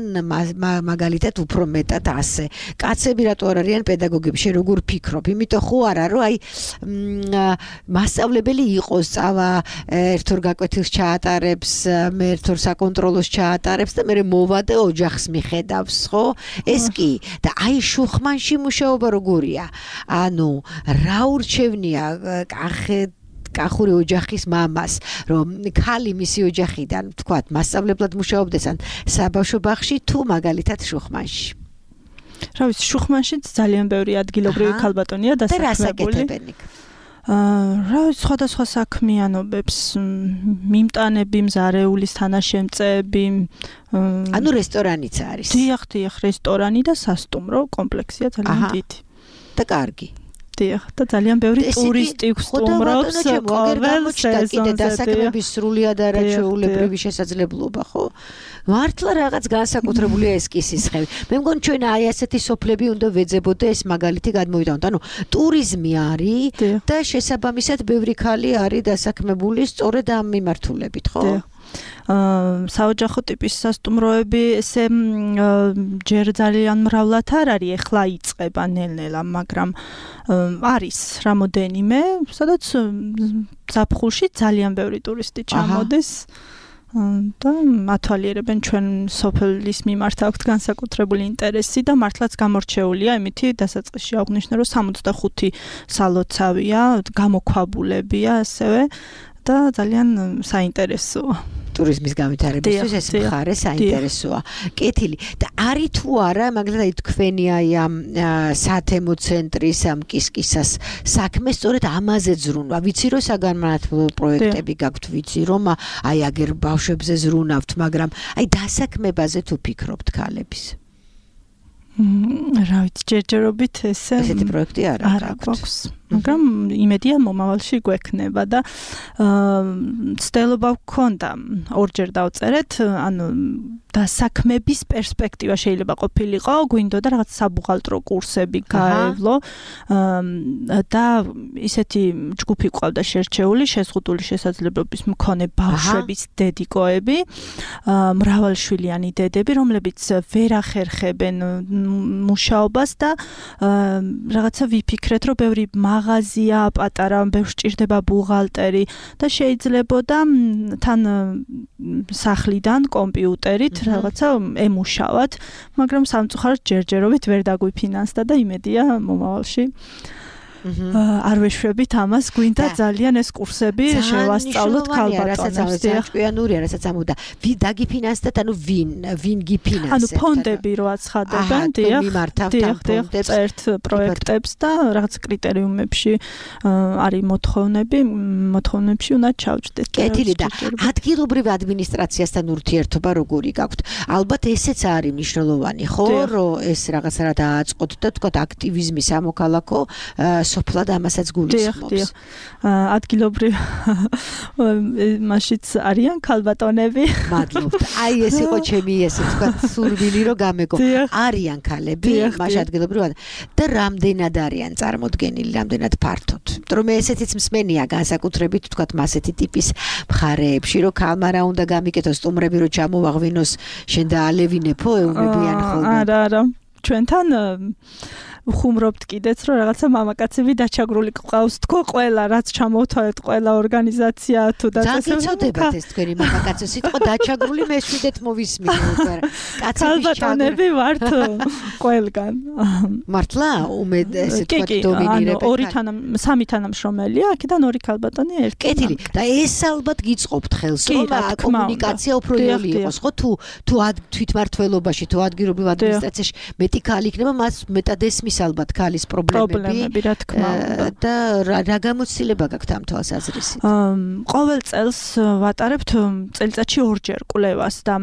მაგალითად უფრო მეტად ასე? კაცები რატო არ არიან პედაგოგები? შენ როგორ ფიქრობ? იმიტომ ხო არა რომ აი მასწავლებელი იყოს, წავა ერთორ გაკვეთილს ჩაატარებს, მე ერთორ საკონტროლოს ჩაატარებს და მე მოვა და ოჯახს მიხედავს, ხო? ეს კი და აი შუხმანში მუშაობა როგორია? ანუ რა ურჩევნია კახური ოჯახის მამას, რომ ქალი მისი ოჯახიდან, თქვათ, მასწავლებლად მუშაობდეს ან საბავშვო ბაღში თუ მაგალითად შუხმანში. რა ვიცი, შუხმანშიც ძალიან ბევრი ადგილობრივი ქალბატონია დასაქმებული. და რას აკეთებენ იქ? რა ვიცი, სხვადასხვა საქმიანობებს, მიმტანები, მზარეულის თანაშემწეები, ანუ რესტორანიც არის. დიახ, რესტორანი და სასტუმრო კომპლექსია ძალიან დიდი. და კარგი. დიახ, და ძალიან ბევრი ტურისტი სტუმრობს ყოველ სეზონზე. დასაქმების სრულიად არაჩვეულებრივი შესაძლებლობა, ხო? მართლა რაღაც განსაკუთრებულია ეს კი სისხლები. მე მგონი ჩვენ აი ასეთი სოფლები უნდა ვეძებოდე ეს მაგალითი გადმოვიდავნოთ. ანუ ტურიზმი არის და შესაბამისად ბევრი ქალი არის დასაქმებული სწორედ ამ მიმართულებით, ხო? საოჯახო ტიპის სასტუმროები ესე ჯერ ძალიან მრავლად არ არის, ეხლა იწყება ნელ-ნელა, მაგრამ არის რამოდენიმე, სადაც ზაფხულში ძალიან ბევრი ტურისტი ჩამოდის. და ათვალიერებენ ჩვენ სოფლის მიმართ აქვთ განსაკუთრებული ინტერესი და მართლაც გამორჩეულია იმითი დასაწყისში აღნიშნე რომ 65 სალოცავია, გამოქვაბულებია ასევე და ძალიან საინტერესოა. ტურიზმის განვითარებისთვის ეს მხარე საინტერესოა. კეთილი. და არის თუ არა, მაგალითად თქვენი აი ამ სათემო ცენტრის ამ კისკისას საქმე სწორედ ამაზე ზრუნვა. ვიცი რომ საგანმანათლებლო პროექტები გაქვთ, ვიცი რომ აი აგერ ბავშვებზე ზრუნავთ, მაგრამ აი დასაქმებაზე თუ ფიქრობთ ქალების? რა ვიცი, ჯერჯერობით ესეთი პროექტი არ აქვს. მაგრამ იმედია მომავალში გვექნება და ცდილობა გვქონდა ორჯერ დავწერეთ, ანუ დასაქმების პერსპექტივა შეიძლება ყოფილიყო, გვინდოდა რაღაც საბუღალტრო კურსები გაევლო და ისეთი ჯგუფი ყავდა შერჩეული, შეზღუდული შესაძლებლობის მქონე ბავშვების დედიკოები, მრავალშვილიანი დედები, რომლებიც ვერ ახერხებენ მუშაობას და რაღაცა ვიფიქრეთ, რომ ბევრი მაღაზია, პატარა, ბევრს სჭირდება ბუღალტერი და შეიძლებოდა თან სახლიდან კომპიუტერით რაღაცა ემუშავათ, მაგრამ სამწუხაროდ ჯერჯერობით ვერ დაგვიფინანსდა და იმედია მომავალში არ ვეშვებით ამას, გვინდა ძალიან ეს კურსები შევასწავლოთ ქალბატონებს. ჭკვიანურია, რასაც ამოდა. დაგიფინანსდათ, ანუ ვინ გიფინანსებს? ანუ ფონდები რო აცხადებენ, დიახ, წერთ პროექტებს და რაღაც კრიტერიუმებში არის მოთხოვნებში უნდა ჩავჭდეთ. კეთილი და ადგილობრივ ადმინისტრაციასთან ურთიერთობა როგორი გაქვთ? ალბათ ესეც არის მნიშვნელოვანი, ხო, რომ ეს რაღაცა რა დააწყოთ და თქვა აქტივიზმი სამოქალაქო სოფლად ამასაც გულისხმობს. ადგილობრივ მაშიც არიან ქალბატონები. მადლობთ. აი ეს იყო ჩემი ესე თქვა სურვილი რომ გამეგო. არიან ქალები, მაშ ადგილობრივად და რამდენად არიან წარმოდგენილი, რამდენად ფართოდ. რომ ესეთიც მსმენია განსაკუთრებით თქვა მასეთი ტიპის მხარეებში, რომ ქალმა რა უნდა გამიკეთოს, სტუმრები რომ ჩამოვაღვინოს, შენ და ალევინეფო ეუბნებიან ხოლმე. არა. ჩვენთან ხუმრობთ კიდეც რომ რაღაცა მამაკაცები დაჩაგრული ყავს თქო ყველა რაც ჩამოვთვალეთ ყველა ორგანიზაცია თუ და ძალიან გიწოდებათ ეს თქვენი მამაკაცო სიტყვა დაჩაგრული მეშვიდეთ მოვისმინე უკვე კაცები ვართ ყველგან მართლა უმედ ესე თქვა დომინირებენ სამი თანამშრომელია აქედან ორი ქალბატონი ერთი კეთილი და ეს ალბათ გიწყობთ ხელს რომ კომუნიკაცია უფრო იოლი იყოს ხო თუ თვითმართველობაში თუ ადგილობრივ ადმინისტრაციაში მეტი ქალი იქნება მას მეტად ესმის ალბათ ქალის პრობლემები რა თქმა უნდა და რა გამოცდილება გაქვთ ამ თვალსაზრისით? ყოველ წელს ვატარებთ წელიწადში ორჯერ კვლევას და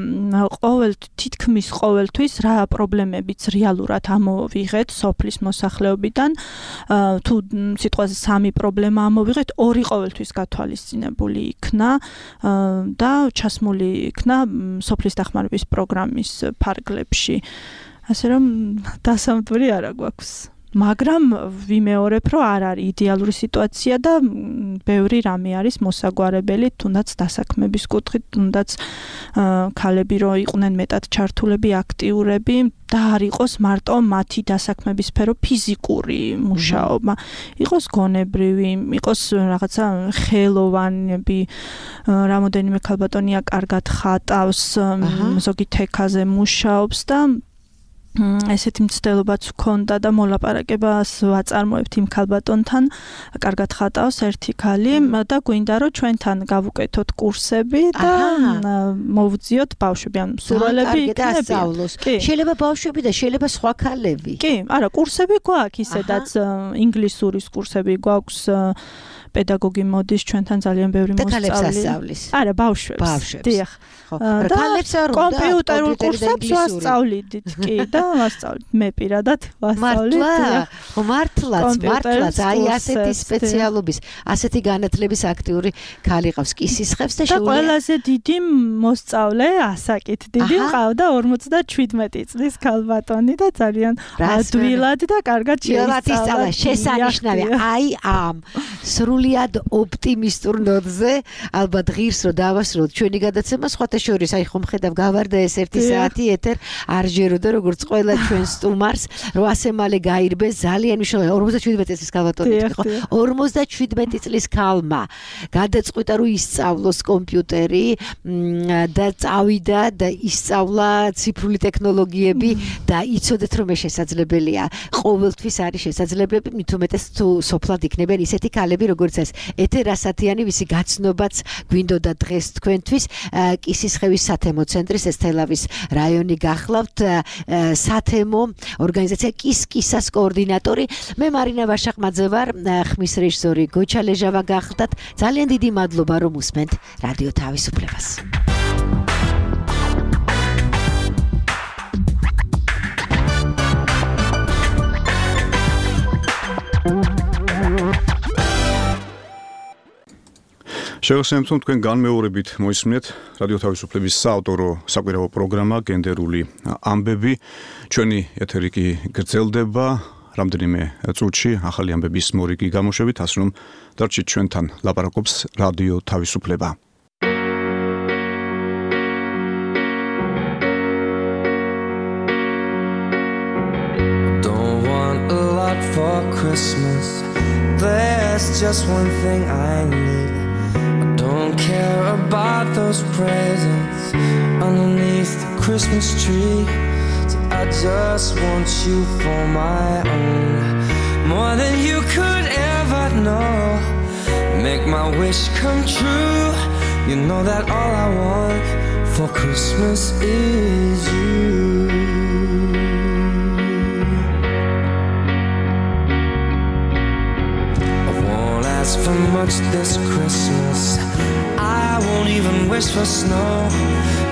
თითქმის ყოველთვის რა პრობლემებიც რეალურად ამოვიღეთ სოფლის მოსახლეობიდან თუ სიტყვაზე სამი პრობლემა ამოვიღეთ ორი ყოველთვის გათვალისწინებული იქნა და ჩასმული იქნა სოფლის დახმარების პროგრამის ფარგლებში ასე რომ დასამტვირი არა გვაქვს მაგრამ ვიმეორებ რომ არ არის იდეალური სიტუაცია და ბევრი რამე არის მოსაგვარებელი თუნდაც დასაქმების კუთხით თუნდაც ქალები რო იყვნენ მეტად ჩართულები აქტიურები და არ იყოს მარტო მათი დასაქმების სფერო ფიზიკური მუშაობა იყოს გონებრივი იყოს რაღაცა ხელოვანები რამოდენიმე ქალბატონია კარგად ხატავს ზოგი თექაზე მუშაობს და ესეთი მცდელობაც ჰქონდა და მოლაპარაკებას ვაწარმოებთ იმ ქალბატონთან კარგად ხატავს ერთი ქალი და გვინდა რომ ჩვენთან გავუკეთოთ კურსები და მოვუძიოთ ბავშვები ან სურვილები იქნებიან შეიძლება ბავშვები და შეიძლება სხვა ქალები კი არა კურსები გვაქვს ისედაც ინგლისურის კურსები გვაქვს პედაგოგი მოდის ჩვენთან ძალიან ბევრი მოსწავლე არა ბავშვებს დიახ და კომპიუტერულ კურსებს ვასწავლიდით კი და ვასწავლით მე პირადად ვასწავლით მართლაც აი ასეთი სპეციალობის ასეთი განათლების აქტიური ქალი ყავს კისისხევს და შეუძლია ყველაზე დიდი მოსწავლე ასაკით დიდი ყავდა 57 წლის ქალბატონი და ძალიან ადვილად და კარგად შეისწავლა შესანიშნავია აი ამ სრულიად ოპტიმისტურ ნოტზე ალბათ ღირს რომ დავასრულოთ ჩვენი გადაცემა სხვათა შორის აი ხომ ხედავ გავარდა ეს 1 საათი ეთერ არ ჯეროდა როგორც ყველა ჩვენ სტუმარს რომ ასე მალე გაირბეს ძალიან მნიშვნელოვანი 57 წლის ქალბატონი იყო 57 წლის ქალმა გადაწყვიტა რომ ისწავლოს კომპიუტერი და წავიდა და ისწავლა ციფრული ტექნოლოგიები და იცოდეთ რომ ეს შესაძლებელია ყოველთვის არის შესაძლებლები მით უმეტეს თუ სოფლად იქნებიან ისეთი ქალები როგორც ეს ეთერ ასათიანი ვისი გაცნობაც გვინდოდა დღეს თქვენთვის კისისხევის სათემო ცენტრის ესთელავის რაიონი გახლავთ სათემო ორგანიზაცია კისკისას კოორდინატორი მე მარინა ვაშაყმაძე ვარ ხმის რეჟისორი გოჩა ლეჟავა გახლდათ ძალიან დიდი მადლობა რომ უსმენთ რადიო თავისუფლებას შეგახსენებთ რომ თქვენ განმეორებით მოისმინეთ რადიო თავისუფლების საავტორო საკვირაო პროგრამა გენდერული ამბები ჩვენი ეთერი კი გრძელდება რამდენიმე წუთში ახალი ამბების მორიგი გამოშვებით ასე რომ დარჩით ჩვენთან ლაპარაკობს რადიო თავისუფლება Don't want a lot for Christmas There's just one thing I need Don't care about those presents underneath the Christmas tree. So I just want you for my own, more than you could ever know. Make my wish come true. You know that all I want for Christmas is you. I won't ask for much this Christmas. I won't even wish for snow.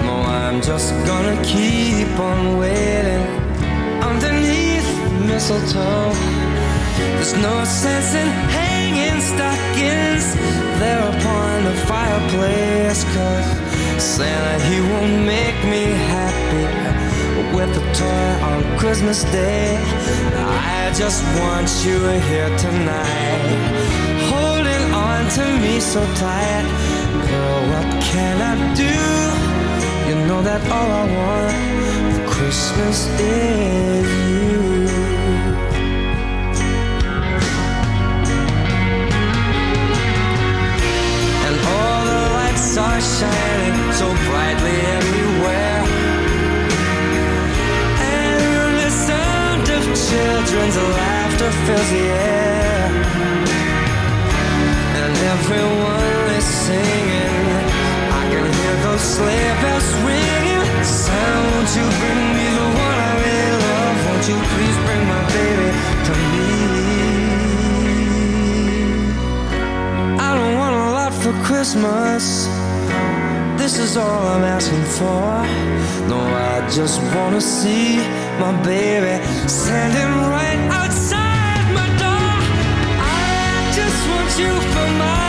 No, I'm just gonna keep on waiting underneath mistletoe. There's no sense in hanging stockings there upon the fireplace, 'cause Santa, he won't make me happy with a toy on Christmas Day. I just want you here tonight, holding on to me so tight. Girl, what can I do? You know that all I want for Christmas is you. And all the lights are shining so brightly everywhere, and the sound of children's laughter fills the air, and everyone is singing. I can hear those sleigh bells ringing. Santa, won't you bring me the one I really love? Won't you please bring my baby to me? I don't want a lot for Christmas, this is all I'm asking for. No, I just wanna see my baby standing right outside my door. I just want you for my